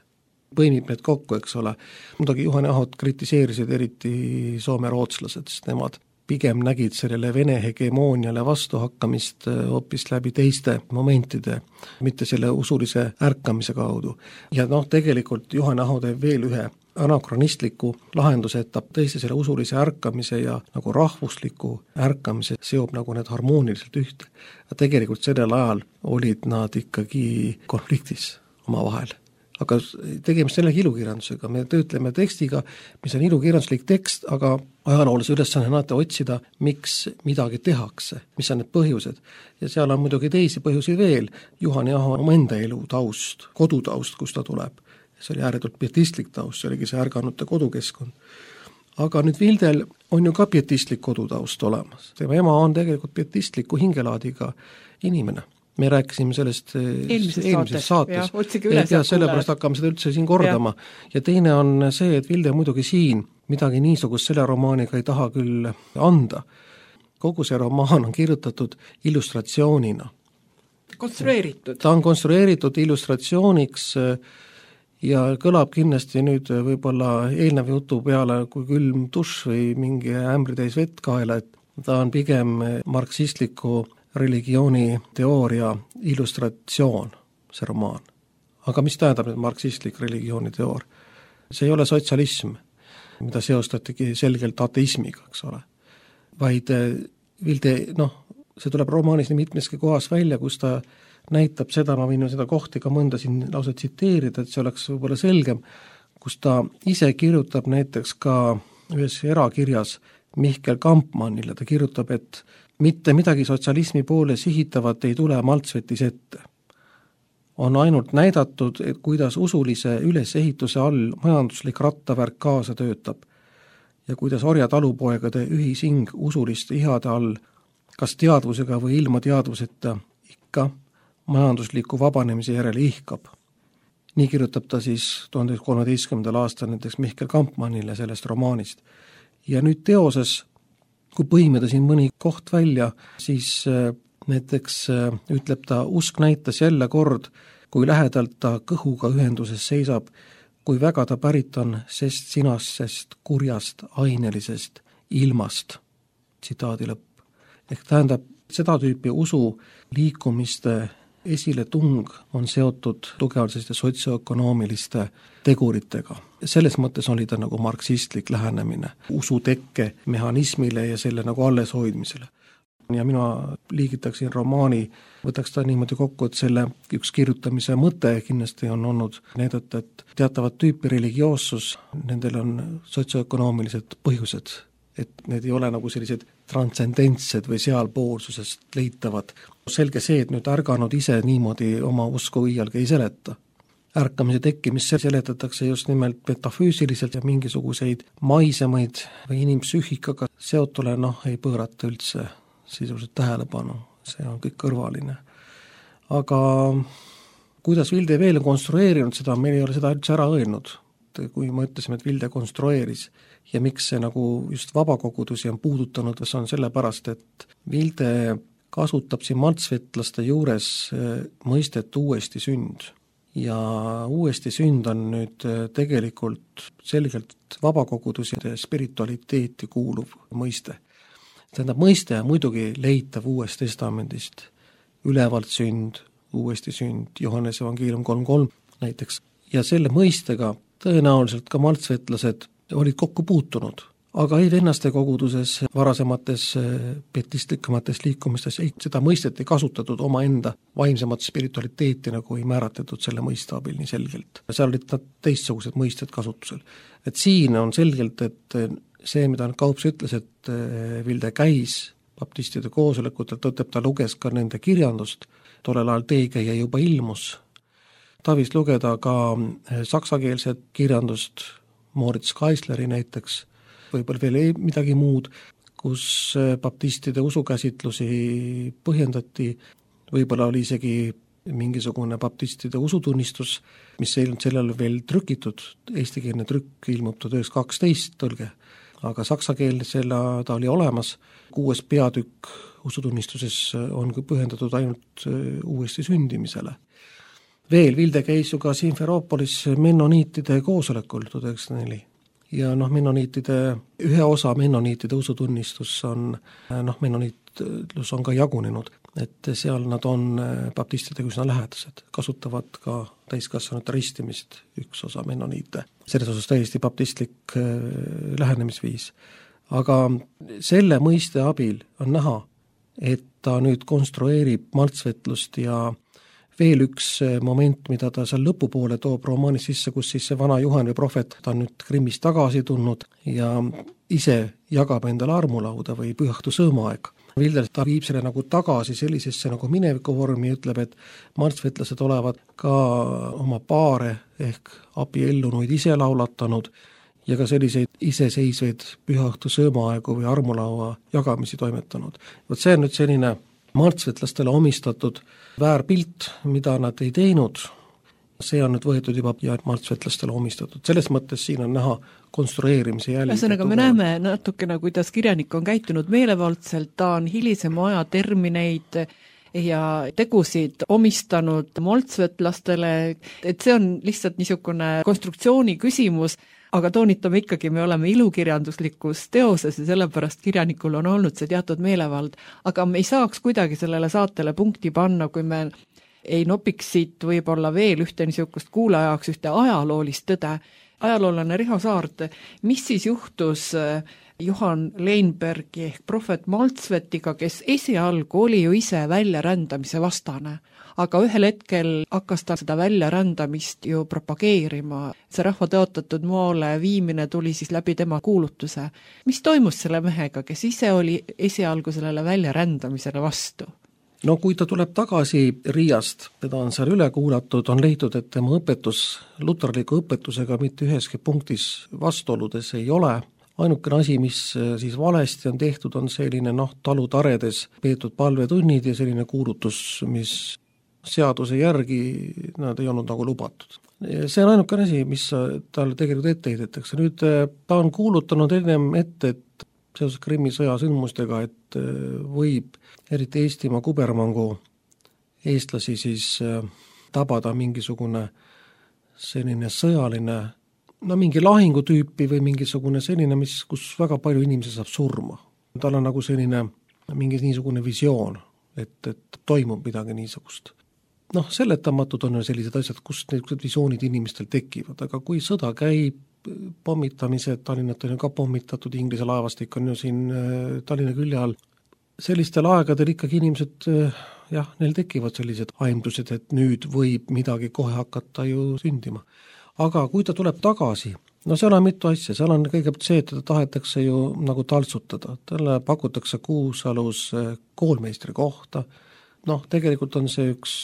Põimib need kokku, eks ole. Muidugi Juhani Ahot kritiseerisid eriti soome rootslased, sest nemad pigem nägid sellele Vene hegemooniale vastuhakkamist hoopis läbi teiste momentide, mitte selle usulise ärkamise kaudu. Ja noh, tegelikult Juhan Aho teeb veel ühe anakronistliku lahenduse, et ta tõesti selle usulise ärkamise ja nagu rahvusliku ärkamise seob nagu need harmooniliselt ühte. Ja tegelikult sellel ajal olid nad ikkagi konfliktis omavahel. Aga tegemist selle ilukirjandusega, me töötleme tekstiga, mis on ilukirjanduslik tekst, aga ajaloolise ülesanne on alati otsida, miks midagi tehakse, mis on need põhjused. Ja seal on muidugi teisi põhjusi veel, Juhan Aho oma enda elu taust, kodutaust, kus ta tuleb. See oli ääretult pietistlik taust, see oligi see ärganute kodukeskkond. Aga nüüd Vildel on ju ka pietistlik kodutaust olemas. Tema ema on tegelikult pietistliku hingelaadiga inimene. Me rääkisime sellest eelmises, eelmises saates, saates. Ja, ja sellepärast hakkame seda üldse siin kordama. Ja. ja teine on see, et Vilde muidugi siin midagi niisugust selle romaaniga ei taha küll anda. Kogu see romaan on kirjutatud illustratsioonina. Konstrueeritud. Ta on konstrueeritud illustratsiooniks ja kõlab kindlasti nüüd võib-olla eelnev jutu peale kui külm dušš või mingi ämbritäis vett kaela, et ta on pigem marksistliku religiooni teooria illustratsioon, see romaan. Aga mis tähendab nüüd marksistlik religiooni teoor? See ei ole sotsialism, mida seostatigi selgelt ateismiga, eks ole. Vaid Vilde, noh, see tuleb romaanis nii mitmeski kohas välja, kus ta näitab seda, ma võin seda kohti ka mõnda siin lausa tsiteerida, et see oleks võib-olla selgem, kus ta ise kirjutab näiteks ka ühes erakirjas Mihkel Kampmannile, ta kirjutab, et mitte midagi sotsialismi poole sihitavat ei tule Maltsvetis ette. On ainult näidatud, et kuidas usulise ülesehituse all majanduslik rattavärk kaasa töötab ja kuidas orja talupoegade ühising usuliste ihade all, kas teadvusega või ilma teadvuseta, ikka majandusliku vabanemise järele ihkab. Nii kirjutab ta siis tuhande kolmeteistkümnendal aastal näiteks Mihkel Kampmannile sellest romaanist. Ja nüüd teoses, kui põhimeda siin mõni koht välja, siis näiteks ütleb ta, usk näitas jälle kord, kui lähedalt ta kõhuga ühenduses seisab, kui väga ta pärit on sest sinasest, kurjast, ainelisest ilmast. Tsitaadi lõpp. Ehk tähendab, seda tüüpi usu liikumiste esile tung on seotud tugevalt selliste sotsioökonoomiliste teguritega. Selles mõttes oli ta nagu marksistlik lähenemine usu tekke mehhanismile ja selle nagu alles hoidmisele. Ja mina liigitaksin romaani, võtaks ta niimoodi kokku, et selle üks kirjutamise mõte kindlasti on olnud näidata, et teatavat tüüpi religioossus, nendel on sotsioökonoomilised põhjused, et need ei ole nagu sellised transcendentsed või sealpoolsusest leitavad. Selge see, et nüüd ärganud ise niimoodi oma usku iialgi ei seleta. Ärkamise tekkimist seletatakse just nimelt metafüüsiliselt ja mingisuguseid maisemaid või inimpsüühikaga seotule, noh, ei pöörata üldse sisuliselt tähelepanu, see on kõik kõrvaline. Aga kuidas Vilde veel on konstrueerinud seda, meil ei ole seda üldse ära öelnud, kui me ütlesime, et Vilde konstrueeris ja miks see nagu just vabakogudusi on puudutanud, see on sellepärast, et Vilde kasutab siin maltsvetlaste juures mõistet uuesti sünd. Ja uuesti sünd on nüüd tegelikult selgelt vabakogudusi ja spiritualiteeti kuuluv mõiste. Tähendab, mõiste on muidugi leitav Uuest Testamendist, ülevalt sünd, uuesti sünd, Johannese evangeelium kolm kolm näiteks, ja selle mõistega tõenäoliselt ka maltsvetlased olid kokku puutunud, aga ei vennaste koguduses, varasemates pietistlikemates liikumistes ei, seda mõistet ei kasutatud omaenda vaimsemat spiritualiteeti, nagu ei määratletud selle mõiste abil nii selgelt. Seal olid nad teistsugused mõisted kasutusel. Et siin on selgelt, et see, mida Kaups ütles, et Vilde käis baptistide koosolekutel, tõttab ta luges ka nende kirjandust, tollel ajal teekäija juba ilmus. Ta võis lugeda ka saksakeelset kirjandust, Moritz Kaisleri näiteks, võib-olla veel ei midagi muud, kus baptistide usukäsitlusi põhjendati, võib-olla oli isegi mingisugune baptistide usutunnistus, mis ei olnud sellel veel trükitud, eestikeelne trükk ilmub tuhat üheksasada kaksteist tõlge, aga saksa keel selle ta oli olemas, kuues peatükk usutunnistuses on põhjendatud ainult uuesti sündimisele. Veel Vilde käis ju ka Simferoopolis mennoniitide koosolekul tuhat üheksasada neli ja noh, mennoniitide, ühe osa mennoniitide usutunnistus on, noh, mennoniitlus on ka jagunenud, et seal nad on baptistidega üsna lähedased, kasutavad ka täiskasvanute ristimist üks osa mennoniite. Selles osas täiesti baptistlik lähenemisviis. Aga selle mõiste abil on näha, et ta nüüd konstrueerib maltsvetlust ja veel üks moment, mida ta seal lõpupoole toob romaanis sisse, kus siis see vana Juhan või prohvet, ta on nüüd Krimmist tagasi tulnud ja ise jagab endale armulauda või pühatu sõõmaaeg. Vilder, ta viib selle nagu tagasi sellisesse nagu minevikuvormi, ütleb, et maltsvetlased olevat ka oma paare ehk abiellunuid ise laulatanud ja ka selliseid iseseisvaid pühatu sõõmaaegu või armulaua jagamisi toimetanud. Vot see on nüüd selline maltsvetlastele omistatud väärpilt, mida nad ei teinud, see on nüüd võetud juba ja maltsvetlastele omistatud. Selles mõttes siin on näha konstrueerimise jälgi. Ühesõnaga me näeme natukene, kuidas kirjanik on käitunud meelevaldselt, ta on hilisema aja termineid ja tegusid omistanud maltsvetlastele, et see on lihtsalt niisugune konstruktsiooni küsimus, aga toonitame ikkagi, me oleme ilukirjanduslikus teoses ja sellepärast kirjanikul on olnud see teatud meelevald, aga me ei saaks kuidagi sellele saatele punkti panna, kui me ei nopiks siit võib-olla veel ühte niisugust kuulajaks, ühte ajaloolist tõde. Ajaloolane Riho Saart, mis siis juhtus Johan Leinbergi ehk prohvet Maltsvetiga, kes esialgu oli ju ise väljarändamise vastane, aga ühel hetkel hakkas ta seda väljarändamist ju propageerima. See rahva tõotatud maale viimine tuli siis läbi tema kuulutuse. Mis toimus selle mehega, kes ise oli esialgu sellele väljarändamisele vastu? No kui ta tuleb tagasi Riiast, teda on seal üle kuulatud, on leitud, et tema õpetus luterliku õpetusega mitte üheski punktis vastuoludes ei ole. Ainukene asi, mis siis valesti on tehtud, on selline noh, talutaredes peetud palvetunnid ja selline kuulutus, mis seaduse järgi nad ei olnud nagu lubatud. See on ainukene asi, mis talle tegelikult ette heidetakse. Nüüd ta on kuulutanud ennem ette, et seoses Krimmi sõja sündmustega, et võib eriti Eestimaa kubermangu eestlasi siis tabada mingisugune selline sõjaline, no mingi lahingutüüpi või mingisugune selline, mis, kus väga palju inimesi saab surma. Tal on nagu selline mingi niisugune visioon, et, et toimub midagi niisugust. Noh, seletamatud on sellised asjad, kus need visioonid inimestel tekivad, aga kui sõda käib, pommitamised, Tallinnat on ju ka pommitatud, Inglise laevastik on ju siin Tallinna külje all. Sellistel aegadel ikkagi inimesed, jah, neil tekivad sellised aimdused, et nüüd võib midagi kohe hakata ju sündima. Aga kui ta tuleb tagasi, no seal on mitu asja, seal on kõigepealt see, et teda tahetakse ju nagu taltsutada, talle pakutakse Kuusalus koolmeistri kohta, noh, tegelikult on see üks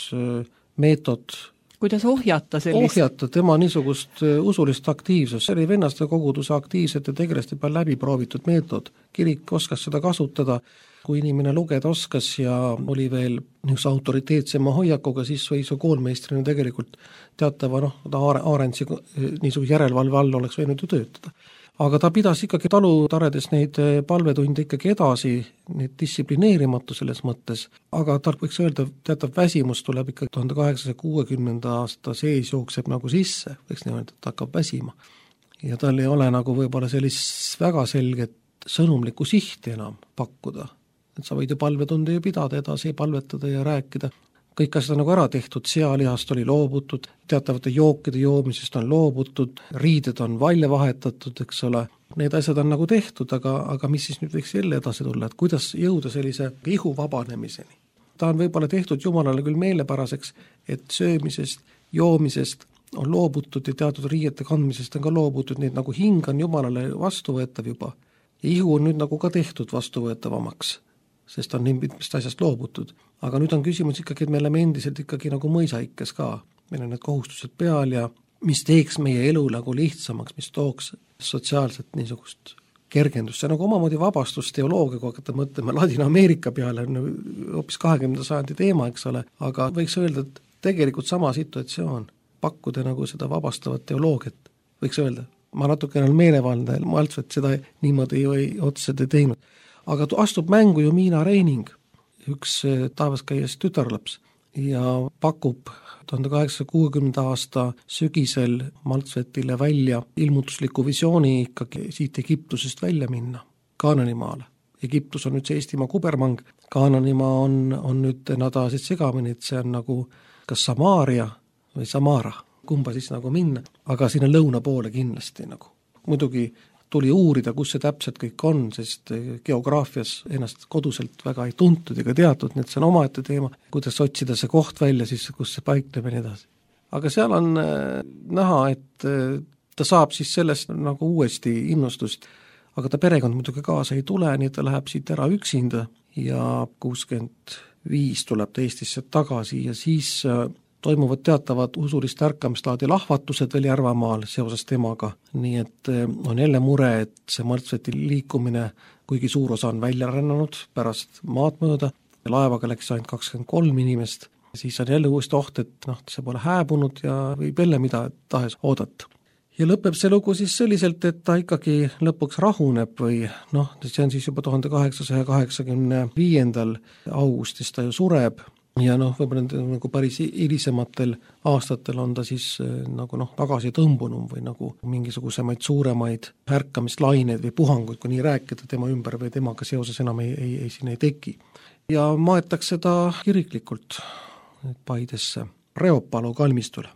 meetod, kuidas ohjata sellist? Ohjata tema niisugust usulist aktiivsust, see oli vennaste koguduse aktiivsete tegelaste peal läbi proovitud meetod. Kirik oskas seda kasutada, kui inimene lugeda oskas ja oli veel niisuguse autoriteetsema hoiakuga, siis võis ju koolmeistrina tegelikult teatava, noh, ta Aarentsi niisuguse järelevalve all oleks võinud ju töötada. Aga ta pidas ikkagi talutaredes neid palvetunde ikkagi edasi, neid distsiplineerimatu selles mõttes, aga tal võiks öelda, teatav väsimus tuleb ikka tuhande kaheksasaja kuuekümnenda aasta sees jookseb nagu sisse, võiks niimoodi, et ta hakkab väsima. Ja tal ei ole nagu võib-olla sellist väga selget sõnumlikku sihti enam pakkuda, et sa võid ju palvetunde ju pidada edasi, palvetada ja rääkida. Kõik asjad on nagu ära tehtud, sealihast oli loobutud, teatavate jookide joomisest on loobutud, riided on välja vahetatud, eks ole. Need asjad on nagu tehtud, aga, aga mis siis nüüd võiks jälle edasi tulla, et kuidas jõuda sellise ihu vabanemiseni. Ta on võib-olla tehtud Jumalale küll meelepäraseks, et söömisest, joomisest on loobutud ja teatud riiete kandmisest on ka loobutud, nii et nagu hing on Jumalale vastuvõetav juba. Ja ihu on nüüd nagu ka tehtud vastuvõetavamaks, sest on nii mitmest asjast loobutud. Aga nüüd on küsimus ikkagi, et me oleme endiselt ikkagi nagu mõisaikes ka. Meil on need kohustused peal ja mis teeks meie elu nagu lihtsamaks, mis tooks sotsiaalselt niisugust kergendust. See on nagu omamoodi vabastusteoloogia, kui hakata mõtlema Ladina-Ameerika peale, on hoopis kahekümnenda sajandi teema, eks ole, aga võiks öelda, et tegelikult sama situatsioon, pakkuda nagu seda vabastavat teoloogiat, võiks öelda. Ma natuke olen meelevaldne, Maltsvet seda niimoodi ju ei, otseselt ei teinud. Aga astub mängu ju Miina Reining, üks taevas käies tütarlaps, ja pakub tuhande kaheksasaja kuuekümnenda aasta sügisel Maltsvetile välja ilmutusliku visiooni ikkagi siit Egiptusest välja minna, Kaananimaale. Egiptus on nüüd see Eestimaa kubermang, Kaananimaa on, on nüüd nad ajasid segamini, et see on nagu kas Samaaria või Samara, kumba siis nagu minna, aga sinna lõuna poole kindlasti nagu. Muidugi tuli uurida, kus see täpselt kõik on, sest geograafias ennast koduselt väga ei tuntud ega teatud, nii et see on omaette teema, kuidas otsida see koht välja siis, kus see paikneb ja nii edasi. Aga seal on näha, et ta saab siis sellest nagu uuesti innustust, aga ta perekond muidugi kaasa ei tule, nii ta läheb siit ära üksinda ja kuuskümmend viis tuleb ta Eestisse tagasi ja siis toimuvad teatavad usulist ärkamislaadi lahvatused veel Järvamaal seoses temaga, nii et on jälle mure, et see Maltsveti liikumine, kuigi suur osa on välja rännanud pärast maad mööda, laevaga läks ainult kakskümmend kolm inimest, siis on jälle uuesti oht, et noh, see pole hääbunud ja võib jälle mida tahes oodata. Ja lõpeb see lugu siis selliselt, et ta ikkagi lõpuks rahuneb või noh, see on siis juba tuhande kaheksasaja kaheksakümne viiendal augustis ta ju sureb, ja noh, võib-olla nagu päris hilisematel aastatel on ta siis nagu noh, tagasi tõmbunum või nagu mingisugusemaid suuremaid ärkamislaineid või puhanguid, kui nii rääkida tema ümber või temaga seoses enam ei, ei, ei, siin ei teki. Ja maetakse ta kiriklikult Paidesse, Reopalu kalmistule.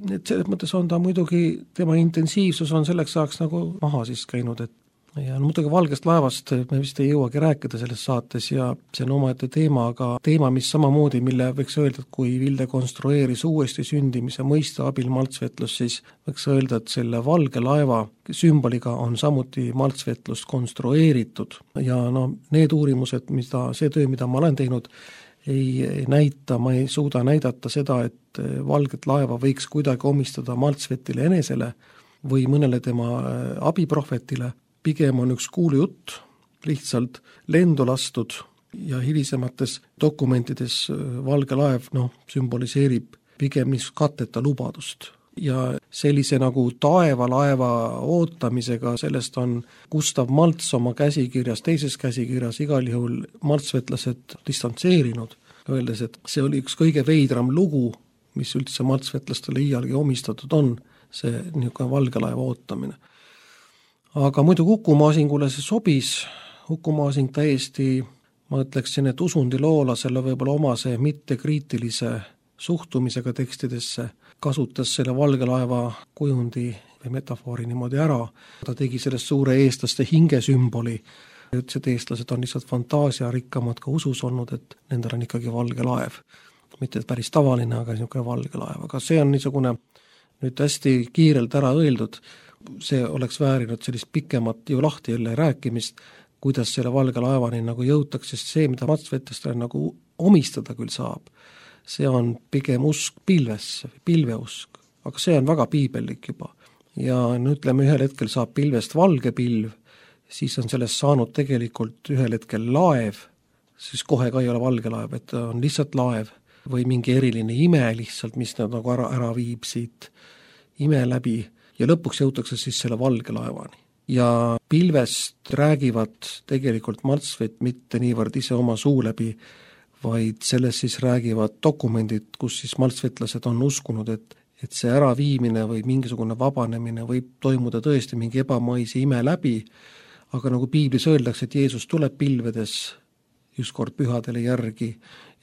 Et selles mõttes on ta muidugi, tema intensiivsus on selleks saaks nagu maha siis käinud, et ja no, muidugi Valgest laevast me vist ei jõuagi rääkida selles saates ja see on omaette teema, aga teema, mis samamoodi, mille võiks öelda, et kui Vilde konstrueeris uuesti sündimise mõiste abil maltsvetlus, siis võiks öelda, et selle valge laeva sümboliga on samuti maltsvetlust konstrueeritud ja no need uurimused, mida, see töö, mida ma olen teinud, ei näita, ma ei suuda näidata seda, et valget laeva võiks kuidagi omistada Maltsvetile enesele või mõnele tema abiprohvetile. Pigem on üks kuulujutt, lihtsalt lendu lastud ja hilisemates dokumentides valge laev no, sümboliseerib pigem niisugust katteta lubadust. Ja sellise nagu taevalaeva ootamisega, sellest on Gustav Malts oma käsikirjas, teises käsikirjas igal juhul maltsvetlased distantseerinud, öeldes, et see oli üks kõige veidram lugu, mis üldse maltsvetlastele iialgi omistatud on, see niisugune valge laeva ootamine. Aga muidu Uku-Maasingule see sobis, Uku-Maasing täiesti, ma ütleksin, et usundiloolasele võib-olla oma see mittekriitilise suhtumisega tekstidesse kasutas selle valge laeva kujundi või metafoori niimoodi ära. Ta tegi sellest suure eestlaste hingesümboli, ütles, et eestlased on lihtsalt fantaasiarikkamad ka usus olnud, et nendel on ikkagi valge laev. Mitte päris tavaline, aga niisugune valge laev. Aga see on niisugune nüüd hästi kiirelt ära öeldud, see oleks väärinud sellist pikemat ju lahti jälle rääkimist, kuidas selle valge laevani nagu jõutakse, sest see, mida maltsvetlastele nagu omistada küll saab, see on pigem usk pilvesse, pilveusk, aga see on väga piibellik juba. Ja nüüd ütleme, ühel hetkel saab pilvest valge pilv, siis on sellest saanud tegelikult ühel hetkel laev, siis kohe ka ei ole valge laev, et on lihtsalt laev või mingi eriline ime lihtsalt, mis nad nagu ära, ära viib siit ime läbi. Ja lõpuks jõutakse siis selle valge laevani. Ja pilvest räägivad tegelikult Maltsvet mitte niivõrd ise oma suu läbi, vaid sellest siis räägivad dokumendid, kus siis maltsvetlased on uskunud, et, et see äraviimine või mingisugune vabanemine võib toimuda tõesti mingi ebamaise ime läbi, aga nagu piiblis öeldakse, et Jeesus tuleb pilvedes ükskord pühadele järgi,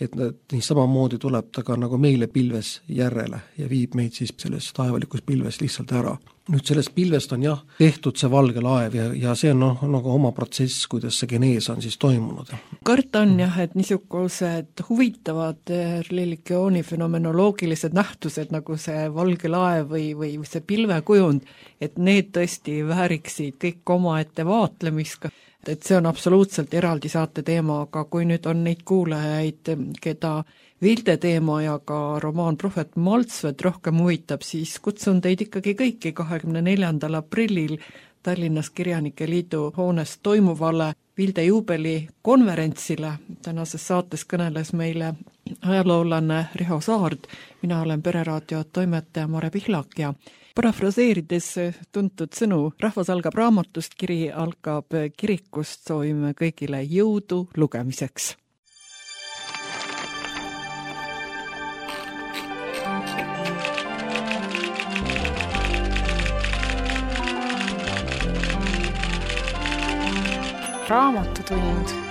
et nii samamoodi tuleb ta ka nagu meile pilves järele ja viib meid siis selles taevalikus pilves lihtsalt ära. Nüüd sellest pilvest on jah tehtud see valge laev ja, ja see on noh, nagu oma protsess, kuidas see genees on siis toimunud. Karta on jah, et niisugused huvitavad religiooni fenomenoloogilised nähtused nagu see valge laev või, või see pilvekujund, et need tõesti vääriksid kõik oma ette vaatlemist, et see on absoluutselt eraldi saate teema, aga kui nüüd on neid kuulajaid, keda Vilde teema ja ka romaan Prohvet Maltsvet rohkem huvitab, siis kutsun teid ikkagi kõiki kahekümne neljandal aprillil Tallinnas Kirjanike Liidu hoones toimuvale Vilde juubeli konverentsile. Tänases saates kõneles meile ajaloolane Riho Saard, mina olen Pereraadio toimetaja Mare Pihlak ja parafraseerides tuntud sõnu, rahvas algab raamatust, kiri algab kirikust, soovime kõigile jõudu lugemiseks. Raamatutund.